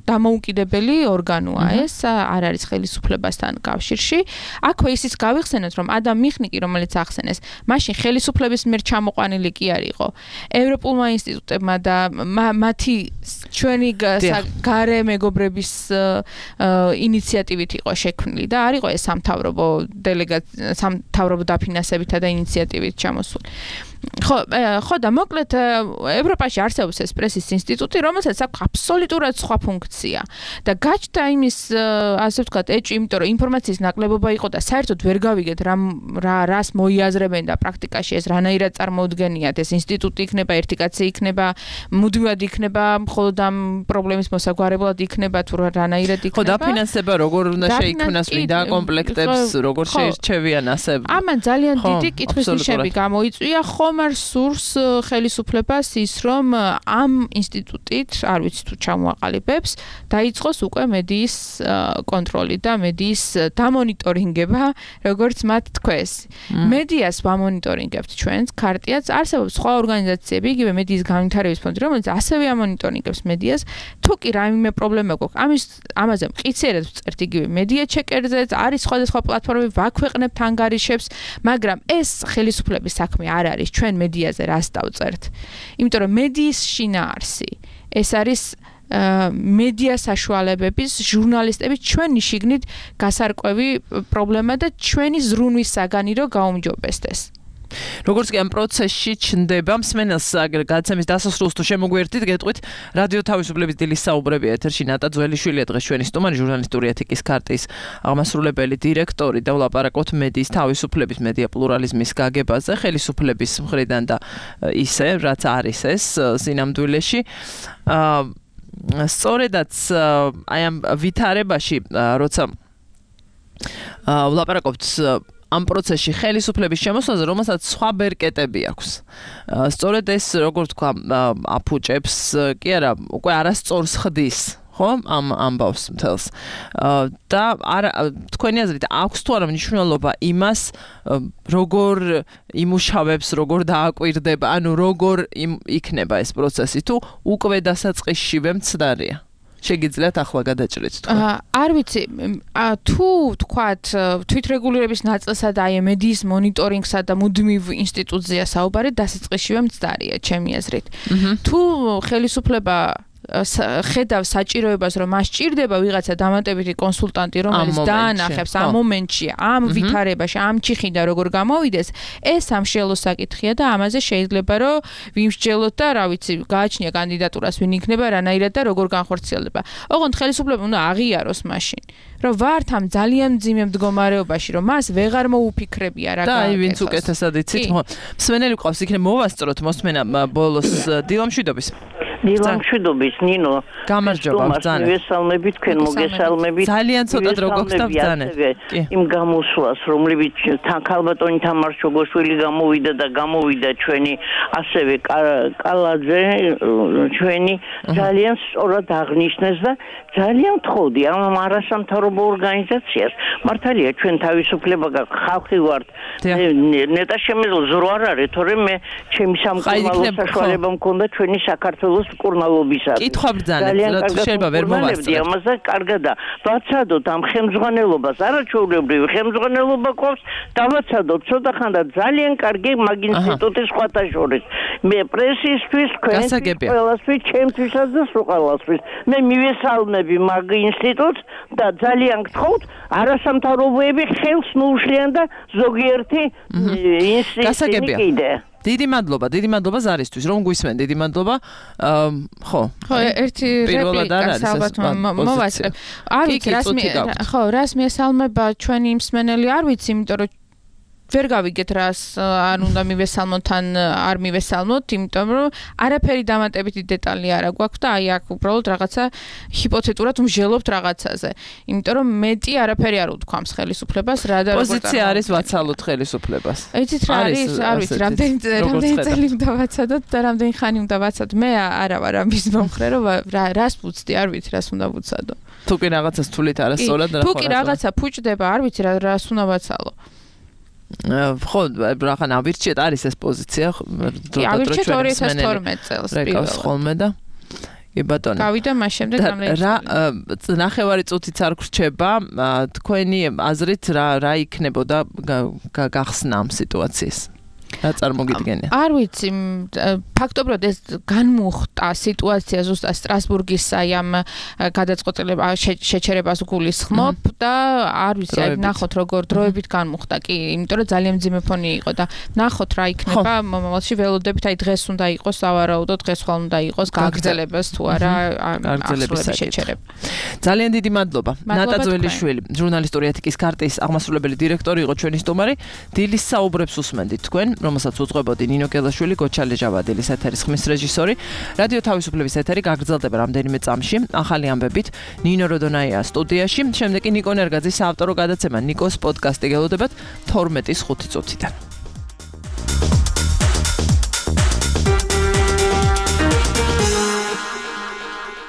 დამოუკიდებელი ორგანოა ეს, არ არის ხელისუფლებასთან კავშირში. აქვე ისიც გავიხსენოთ, რომ ადამ მიხნიკი, რომელიც ახსენეს, მაშინ ხელისუფლების მიერ ჩამოყვანილი კი არ იყო. ევროპულმა ინსტიტუტებმა და მათი ჩვენი გარე მეგობრების ინიციატივით იყო შექმნილი და არ იყო ეს სამთავრობო დელეგაცია, სამთავრობო დაფინანსებითა და ინიციატივით ჩამოსული. ხო, ხო და მოკლედ ევროპაში არსებობს ეს პრესის ინსტიტუტი, რომელსაც აქვს აბსოლუტურად სხვა ფუნქცია და გაჩნდა იმის ასე ვთქვათ ეჭვი, იმიტომ რომ ინფორმაციის ნაკლებობა იყო და საერთოდ ვერ გავიგეთ რა რა რას მოიაზრებენ და პრაქტიკაში ეს რანაირად წარმოუდგენიათ, ეს ინსტიტუტი იქნება, ერთი კაცი იქნება, მუდმივად იქნება, მხოლოდ ამ პრობლემის მოსაგვარებლად იქნება თუ რანაირად იქნება. ხო, დაფინანსება როგორ უნდა შეიქმნას, ვინ დააკომპლექტებს, როგორ შეირჩევიან ასე. ამან ძალიან დიდი კითხვის ნიშნები გამოიწვია. ხომ არ სურს ხელისუფლებას ის რომ ამ ინსტიტუტით, არ ვიცი თუ ჩამოაყალიბებს, დაიწყოს უკვე მედიის კონტროლი და მედიის დამონიტორინგება, როგორც მათ თქვეს. მედიას ვამონიტორინგებთ ჩვენს ქარტიაც, არსებობს სხვა ორგანიზაციები, იგივე მედიის განვითარების ფონდი, რომელიც ასევე ამონიტორინგებს მედიას, თუ კი რაიმე პრობლემა გვაქვს, ამის ამაზე მყიციერად ვწერთ იგივე მედია ჩეკერზეც, არის სხვადასხვა პლატფორმები, ვაქვეყნებთ ანგარიშებს, მაგრამ ეს ხელისუფლების საქმე არ არის. ჩვენ მედიაზე რას დავწერთ? იმიტომ რომ მედიის შინაარსი ეს არის მედია საშუალებების ჟურნალისტების ჩვენი შიგნით გასარკვევი პრობლემა და ჩვენი ზრუნვის საგანი რო გაუმჯობესდეს. როგორც კი ამ პროცესში ჩნდება მსმენელს გადაცემის დასასრულს თუ შემოგვიერთდით, გეტყვით რადიო თავისუფლების დილის საუბრები ეთერში ნატა ძველიშვილია დღეს ჩვენი სტუმარი, ჟურნალისტური ეთიკის ქარტიის აღმასრულებელი დირექტორი და ვლაპარაკობთ მედიის თავისუფლების, მედია პლურალიზმის გაგებაზე, ხელისუფლების მხრიდან და ისე, რაც არის ეს სინამდვილეში. სწორედაც აი ამ ვითარებაში, როცა ვლაპარაკობთ ამ პროცესში ხელისუფლების შემოსვლაზე, რომელსაც სხვა ბერკეტები აქვს. სწორედ ეს, როგორ თქვა, აფუჭებს, კი არა, უკვე არასწორს ხდის, ხო, ამ ამბავს მთელს. და არა, თქვენი აზრით, აქვს თუ არა მნიშვნელობა იმას, როგორ იმუშავებს, როგორ დააკვირდება, ანუ როგორ იქნება ეს პროცესი, თუ უკვე დასაწყისშივე მცდარია? შეგიძლიათ ახლა გადაჭრით თქვა. არ ვიცი, თუ თქვათ თვითრეგულირების ნაწილსა და აი მედიის მონიტორინგსა და მუდმივ ინსტიტუცია საუბარი დასაწყისშივე მცდარია, ჩემი აზრით. თუ ხელისუფლება ხედავ საჭიროებას, რომ მას ჭირდება ვიღაცა დამატებითი კონსულტანტი, რომელიც დაანახებს ამ მომენტში, ამ ვითარებაში, ამ ჩიხიდან როგორ გამოვიდეს, ეს სამშელო საკითხია და ამაზე შეიძლება რომ ვიმსჯელოთ და რა ვიცი, გააჩნია კანდიდატურას ვინ იქნება, რანაირად და როგორ განხორციელდება. ოღონდ ხელისუფლება უნდა აღიაროს მაშინ, რომ ვართ ამ ძალიან მძიმე მდგომარეობაში, რომ მას ვეღარ მოუფიქრებია რა გააკეთოს. და აი ვინც უკეთესად იცით, მსმენელი ყავს, იქნებ მოვასწროთ მოსმენა ბოლოს დილამშვიდობის. დილამშვიდობის ნინო, გამარჯობა ბრძანე. მოგესალმებით, თქვენ მოგესალმებით. ძალიან ცოტა დრო გქონდა ბრძანე. იმ გამოსვლას, რომლებიც თან ქალბატონი თამარ შოგოშვილი გამოვიდა და გამოვიდა ჩვენი ასევე კალაძე, ჩვენი ძალიან სწორად აღნიშნეს და ძალიან თხოვდი ამ არასამთავრობო ორგანიზაციას. მართალია ჩვენ თავისუფლება ხალხი ვართ. ნეტა შემეძლო ზრო არ არის, თორემ მე ჩემი სამკურნალო საშუალება მქონდა ჩვენი საქართველოს კარგას კურნალობისას. კითხვა ბრძანეთ, შეიძლება ვერ მოვასწრებთ. ამაზე კარგადა. ვაცადოთ ამ ხელმძღვანელობას, არაჩვეულებრივი ხელმძღვანელობა ყავს, დავაცადოთ ცოტახანდა ძალიან კარგი მაგ ინსტიტუტის სხვათა შორის. მე პრესისთვის, თქვენთვის, ყველასთვის, ჩემთვისაც და სულ ყველასთვის. მე მივესალმები მაგ ინსტიტუტს და ძალიან გთხოვთ, არასამთავრობოები ხელს მოუშლიან და ზოგიერთი ინსტიტუტი კიდე. დიდი მადლობა, დიდი მადლობა ზარისთვის, რომ გვისმენ, დიდი მადლობა. ხო. ხო, ერთი რეპლიკას ალბათ მოვასწრებ. არ ვიცი, რას მე ხო, რას მიესალმება ჩვენი მსმენელი, არ ვიცი, იმიტომ რომ ვერ გავიგეთ რას არ უნდა მივესალმოთ ან არ მივესალმოთ, იმიტომ რომ არაფერი დამატებითი დეტალი არ აქვს და აი აქ უბრალოდ რაღაცა ჰიპოთეტურად ვმჟელობთ რაღაცაზე. იმიტომ რომ მეტი არაფერი არ უთქვამს ხელისუფლებას, რა და როგორ პოზიცია არის ვაცალოთ ხელისუფლებას. იცით რა არის, არ ვიცი, რამდენი რამდენი წელი უნდა ვაცადოთ და რამდენი ხანი უნდა ვაცადოთ. მე არა ვარ ამის მომხრე, რომ რას ვუცდი, არ ვიცი, რას უნდა ვუცადო. თუ კი რაღაცას თulit არასწორად რა ხო. თუ კი რაღაცა ფუჭდება, არ ვიცი რა რას უნდა ვაცალო. ხო, რაღაცა ავირჩიეთ არის ეს პოზიცია, დრო ავირჩიეთ ორი ათას თორმეტ წელს პირველად. ხოლმე და კი ბატონო. გავიდა მას შემდეგ გამლეი. რა ნახევარი წუთიც არ გრჩება, თქვენი აზრით რა რა იქნებოდა გახსნა ამ სიტუაციის? რა წარმოგიდგენია? არ ვიცი, ფაქტობრივად ეს განმუხტა სიტუაცია ზუსტად სტრასბურგის აი ამ გადაწყვეტილება შეჩერებას გულისხმობ და არ ვიცი, აი ნახოთ როგორ დროებით განმუხტა. კი, იმიტომ რომ ძალიან მძიმე ფონი იყო და ნახოთ რა იქნება მომავალში ველოდებით, აი დღეს უნდა იყოს სავარაუდო, დღეს ხვალ უნდა იყოს გაგრძელებას თუ არა გაგრძელების შეჩერება. ძალიან დიდი მადლობა. ნატა ძველიშვილი, ჟურნალისტური ეთიკის ქარტიის აღმასრულებელი დირექტორი იყო ჩვენი სტუმარი. დილის საუბრებს უსმენდით თქვენ, რომელსაც უძღვებოდი ნინო კელაშვილი, გოჩალე ჟავადილის ეთერის ხმის რეჟისორი. რადიო თავისუფლების ეთერი გაგრძელდება რამდენიმე წამში, ახალი ამბებით ნინო როდონაია სტუდიაში. შემდეგ კი ნიკო ნერგაძის საავტორო გადაცემა ნიკოს პოდკასტი გელოდებათ თორმეტის ხუთი წუთიდან.